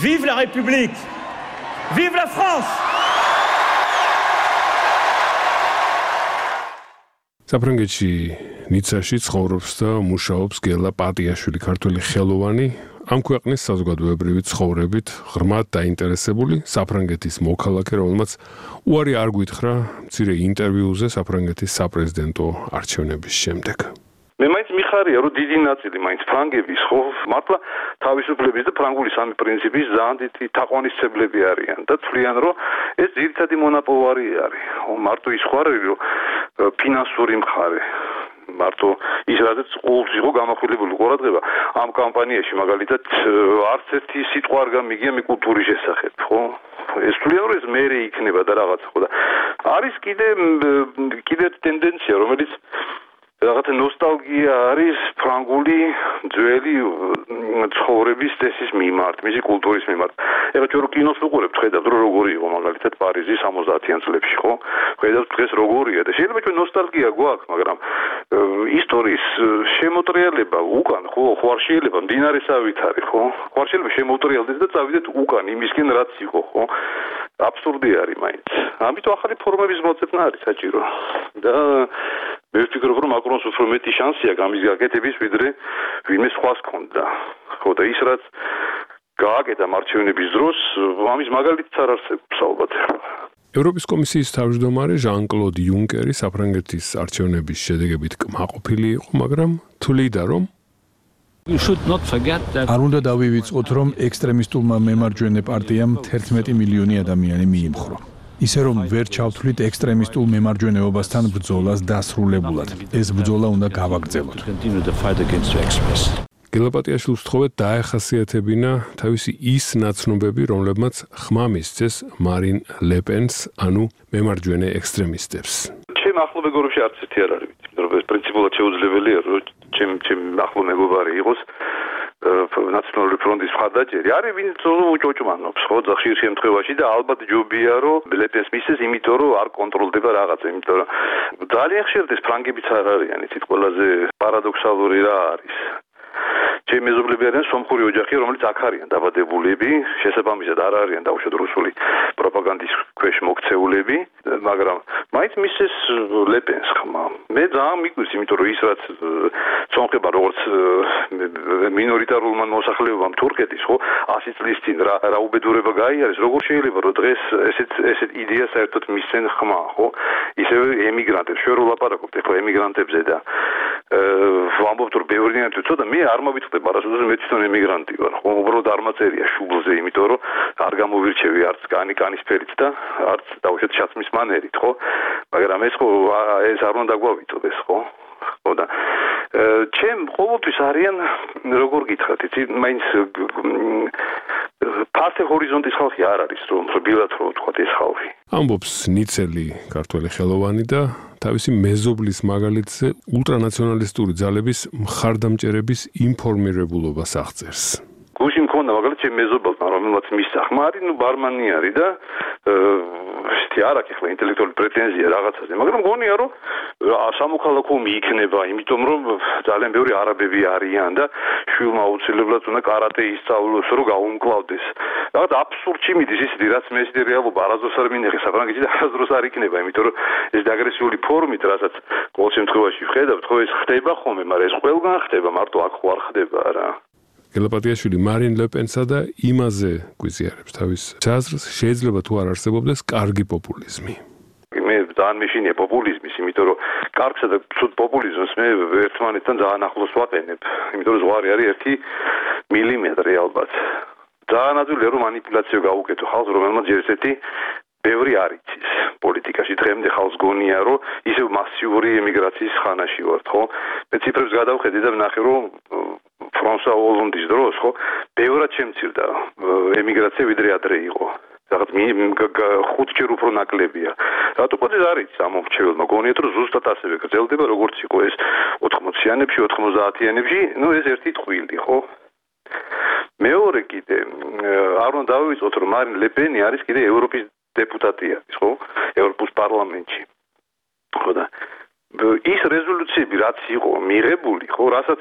Vive la République. Vive la France. საფრანგეთში ნიცაში ცხოვრობს და მუშაობს გელა პატიაშვილი, ქართველი ხელოვანი, ამ ქვეყნის საზოგადოებრივი ცხოვრებით ღრმად დაინტერესებული საფრანგეთის მოქალაქე, რომელმაც უარი არ გვითხრა მცირე ინტერვიუზე საფრანგეთის საპრეზიდენტო არჩევნების შემდეგ. მე მაინც მიხარია, რომ დიდი ნაწილი მაინც ფრანგების ხო მართლა თავისუფლების და ფრანგული სამი პრინციპის ძალიან დიდი თაყვანისმცემლები არიან და თვლიან, რომ ეს ძირითადი მონაპოვარი არის. მარტო ის ხო არ არის, რომ ფინანსური მხარე მარტო ის რადგან ყოველთვის იყო გამახვილებული ყურადღება ამ კამპანიაში მაგალითად არც ერთი სიტყვა არ გამიგია მე კულტურის შესახებ, ხო? ეს თვლიან, რომ ეს მერე იქნება და რაღაცა ხო და არის კიდე ტენდენცია, რომელიც რაღაცა ნოსტალგია არის ფრანგული ძველი ცხოვრების წესის მიმართ, მისი კულტურის მიმართ. ეხლა ჩვენ რო კინოს ვუყურებთ, ხედავთ რომ როგორი იყო მაგალითად პარიზი 70-იან წლებში, ხო? ხედავთ დღეს როგორია და შეიძლება ჩვენ ნოსტალგია გვაქვს, მაგრამ ისტორიის შემოტრიალება უკან, ხო, არ შეიძლება მდინარესავით არის, ხო? არ შეიძლება შემოტრიალდეს და წავიდეთ უკან იმისკენ რაც იყო, ხო? აბსურდი არის მაინც. ამიტომ ახალი ფორმების მოწესნა არის საჭირო. და მე ვფიქრობ, რომ მაკრონს უფრო მეტი შანსია გამის გაკეთების, ვიდრე ვინმე სხვას ჰქონდა. ხო და ის რაც გააკეთა მარჩევნების დროს, ამის მაგალითიც არ არსებობს ალბათ. ევროპის კომისიის თავმჯდომარე ჟან-კლოდ იუნკერი საფრანგეთის არჩევნების შედეგებით კმაყოფილი იყო, მაგრამ თვლიდა, რომ არ უნდა დავივიწყოთ, რომ ექსტრემისტულმა მემარჯვენე პარტიამ 11 მილიონი ადამიანი მიიმხრო. ისე რომ ვერ ჩავთვლით ექსტრემისტულ მემარჯვენეობასთან ბრძოლას დასრულებულად. ეს ბრძოლა უნდა გავაგრძელოთ. გელაპატიაშვილს ვთხოვეთ დაეხასიათებინა თავისი ის ნაცნობები, რომლებმაც ხმა მისცეს მარინ ლეპენს, ანუ მემარჯვენე ექსტრემისტებს. ჩემ ახლო მეგობრებში არც ერთი არ არის, იმიტომ რომ ეს პრინციპულად შეუძლებელია, რომ ჩემ ახლო მეგობარი იყოს ნაციონალური ფრონტის მხარდაჭერი არის ვინც უჭოჭმანობს ხო ხშირ შემთხვევაში და ალბათ ჯობია რომ ლეპენს მისცეს იმიტომ რომ არ კონტროლდება რაღაცა იმიტომ რომ ძალიან ხშირად ეს ფრანგებიც არ არიან იცით ყველაზე პარადოქსალური რა არის ჩემი მეზობლები არიან სომხური ოჯახი რომელიც აქ არიან დაბადებულები შესაბამისად არ არიან დაუშვათ რუსული პროპაგანდის ქვეშ მოქცეულები მაგრამ მაინც მისცეს ლეპენს ხმა მე ძალიან მიგვირს იმიტომ რომ ის რაც სომხება როგორც მინორიტარულმა მოსახლეობამ თურქეთის ხო 100 წლის წინ რა უბედურება გაიარეს როგორ შეიძლება რომ დღეს ესეთ იდეას საერთოდ მისცენ ხმა ხო ისევე ემიგრანტებს შენ რო ლაპარაკობთ ახლა ემიგრანტებზე და ვამბობთ რომ ბევრია თუ ცოტა მე არ მოვიწყდება არასოდეს მე თვითონ ემიგრანტი ვარ ხო უბრალოდ არ მაწერია შუბლზე იმიტომ რომ არ გამოვირჩევი არც კანისფერით და არც დაუშვათ შაცმის მანერით ხო მაგრამ ეს ხო ეს არ უნდა გვავიწოდეს ხო ხო და ჩემ ყოველთვის არიან როგორ გითხრათ იცი მაინც ფასე ჰორიზონტის ხალხი არ არის რომ რბილად რო ვთქვა ეს ხალხი ამბობს ნიცელი ქართველი ხელოვანი და თავისი მეზობლის მაგალითზე ულტრანაციონალისტური ძალების მხარდამჭერების ინფორმირებულობას აღწერს გუშინ მქონდა მაგალითად ჩემ მეზობელთან რომელმაც მისახმა არის ნუ ბარმანი არის და ისეთი არ აქვს ახლა ინტელექტუალური პრეტენზია რაღაცაზე მაგრამ გონია რომ სამოქალაქო მიიქნება იმიტომ რომ ძალიან ბევრი არაბები არიან და შვილმა აუცილებლად უნდა კარატე ისწავლოს რომ გაუმკლავდეს რაღაც აბსურდში მიდის ისეთი რაც მე ისეთი რეალობა არასდროს არ მინახე საფრანგეთში და არასდროს არ იქნება იმიტომ რომ ეს აგრესიული ფორმით რასაც ყოველ შემთხვევაში ვხედავთ ხო ეს ხდება ხოლმე მაგრამ ეს ყველგან ხდება მარტო აქ ხო არ ხდება რა გელაპატიაშვილი მარინ ლეპენსა და იმაზე გვიზიარებს თავის აზრს შეიძლება თუ არ არსებობდეს კარგი პოპულიზმი მე ძალიან მეშინია პოპულიზმის იმიტომ რომ კარგსა და ცუდ პოპულიზმს მე ერთმანეთთან ძალიან ახლოს ვაყენებ იმიტომ რომ ზღვარი არის 1 მილიმეტრი ალბათ ძალიან ადვილია რომ манипуляციო გაუკეთო ხალხს რომელმაც ესეთი ბევრი არ იცის პოლიტიკაში დღემდე ხალხს გონია რომ ისევ მასიური ემიგრაციის ხანაში ვართ ხო მე ციფრებს გადავხედე და ვნახე რომ ფრანსუა ოლონდის დროს ხო ბევრად შემცირდა ემიგრაცია ვიდრე ადრე იყო რაღაც 5-ჯერ უფრო ნაკლებია რატო ყოველთვის არის ამომრჩეველმა გონიათ რომ ზუსტად ასევე გრძელდება როგორც იყო ეს 80-იანებში 90-იანებში ნუ ეს ერთი ტყვილი ხო მეორე კიდე არ უნდა დავივიწყოთ რომ მარინ ლეპენი არის კიდე ევროპის დეპუტატია ხო ევროპის პარლამენტში ხო და ის რეზოლუციები რაც იყო მიღებული ხო რასაც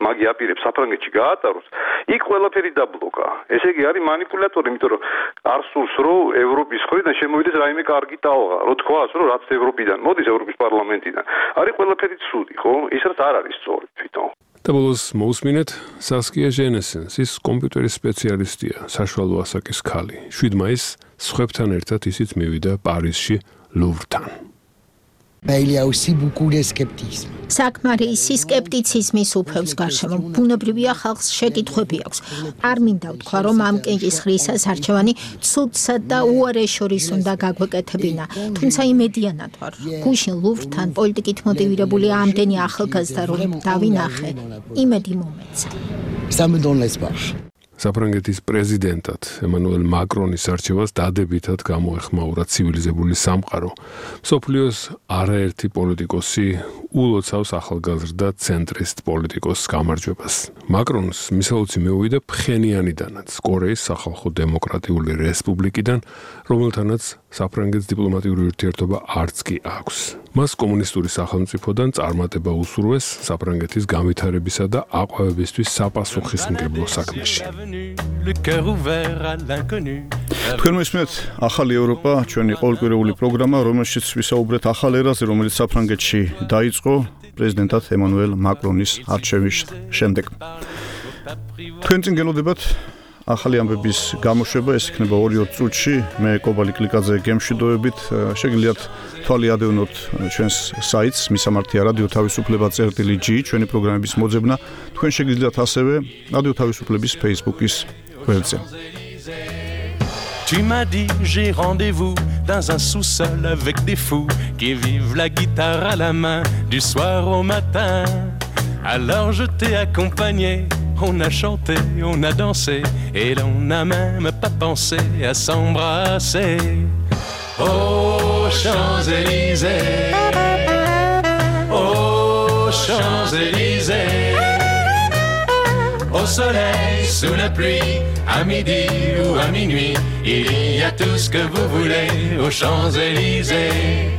მაგი აპირებს საფრანგეთში გაატაროს იქ ყველაფერი დაბლოკა ესე იგი არის манипуляტორი იმიტომ რომ არ სურს რომ ევროპის მხრიდან შემოვიდეს რაიმე კარგი ტალღა რო თქვას რომ რაც ევროპიდან მოდის ევროპის პარლამენტიდან არის ყველაფერი ცუდი ხო ის რაც არ არის სწორი თვითონ და ბოლოს მოусმინეთ სასკია ჟენესენს ის კომპიუტერის სპეციალისტია საშუალო ასაკის ქალი 7 მაისს სხვებთან ერთად ისიც მივიდა პარიზში ლუვრთან Il y a aussi beaucoup de scepticisme. საკმარისი სკეპტიციზმის უფევს გარშემო. ბუნებრივია ხალხს შეკითხვები აქვს. არ მინდა ვთქვა, რომ ამ კენჭისყრისას არჩევანი ცუდსა და უარეს შორის უნდა გაგვეკეთებინა. თუმცა იმედიანად ვარ. გუშინ ლუვრთან პოლიტიკით მოტივირებული ამდენი ახალგაზრდა რომ დავინახე, იმედი მომეცა. Ça me donne l'espoir. საფრანგეთის პრეზიდენტად ემანუელ მაკრონის არჩევას დადებითად გამოეხმაურა ცივილიზებული სამყარო. მსოფლიოს არაერთი პოლიტიკოსი ულოცავს ახალგაზრდა ცენტრისტ პოლიტიკოსს გამარჯვებას. მაკრონს მისაუცი მეუვიდა ფხენიანიდანაც, კორეის სახალხო დემოკრატიული რესპუბლიკიდან, რომელთანაც საფრანგეთის დიპლომატიური ურთიერთობა არც კი აქვს. მას კომუნისტური სახელმწიფოდან წარმატება უსურვეს საფრანგეთის განვითარებისა და აყვავებისთვის საპასუხისმგებლო საქმეში. თქვენ მოსმენთ ახალი ევროპა, ჩვენი ყოველკვირეული პროგრამა, რომელშიც ვისაუბრეთ ახალ ერაზე, რომელიც საფრანგეთში დაიწყო პრეზიდენტად ემანუელ მაკრონის არჩევის შემდეგ. თქვენ წინ გელოდებათ ახალი ამბების გამოშვება, ეს იქნება 2 წუთში. მე კობალი კლიკაძე გემშვიდობებით. შეგიძლიათ თვალი ადევნოთ ჩვენს საიტს მისამართია რადიო თავისუფლება.gi ჩვენი პროგრამების მოძებნა. თქვენ შეგიძლიათ ასევე რადიო თავისუფლების Facebook-ის ველზე. Tu m'as dit j'ai rendez-vous dans un sous-sol avec des fous qui vivent la guitare à la main du soir au matin. Alors je t'ai accompagné, on a chanté, on a dansé et l'on n'a même pas pensé à s'embrasser. Aux Champs-Élysées, aux Champs-Élysées, au soleil, sous la pluie, à midi ou à minuit, il y a tout ce que vous voulez aux Champs-Élysées.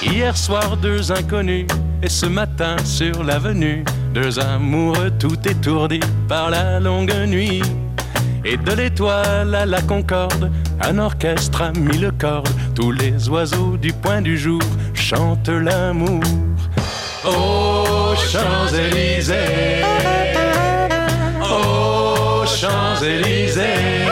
Hier soir, deux inconnus, et ce matin sur l'avenue, deux amoureux tout étourdis par la longue nuit. Et de l'étoile à la concorde, un orchestre a mis le corde. Tous les oiseaux du point du jour chantent l'amour. Aux Champs-Élysées, aux Champs-Élysées,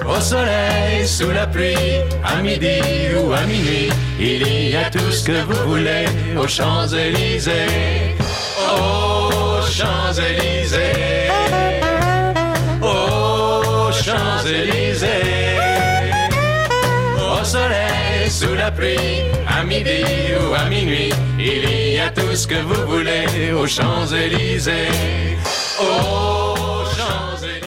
au soleil, sous la pluie, à midi ou à minuit, il y a tout ce que vous voulez aux Champs-Élysées, aux Champs-Élysées, aux Champs-Élysées, au soleil, sous la pluie, à midi ou à minuit, il y a tout ce que vous voulez aux Champs-Élysées, aux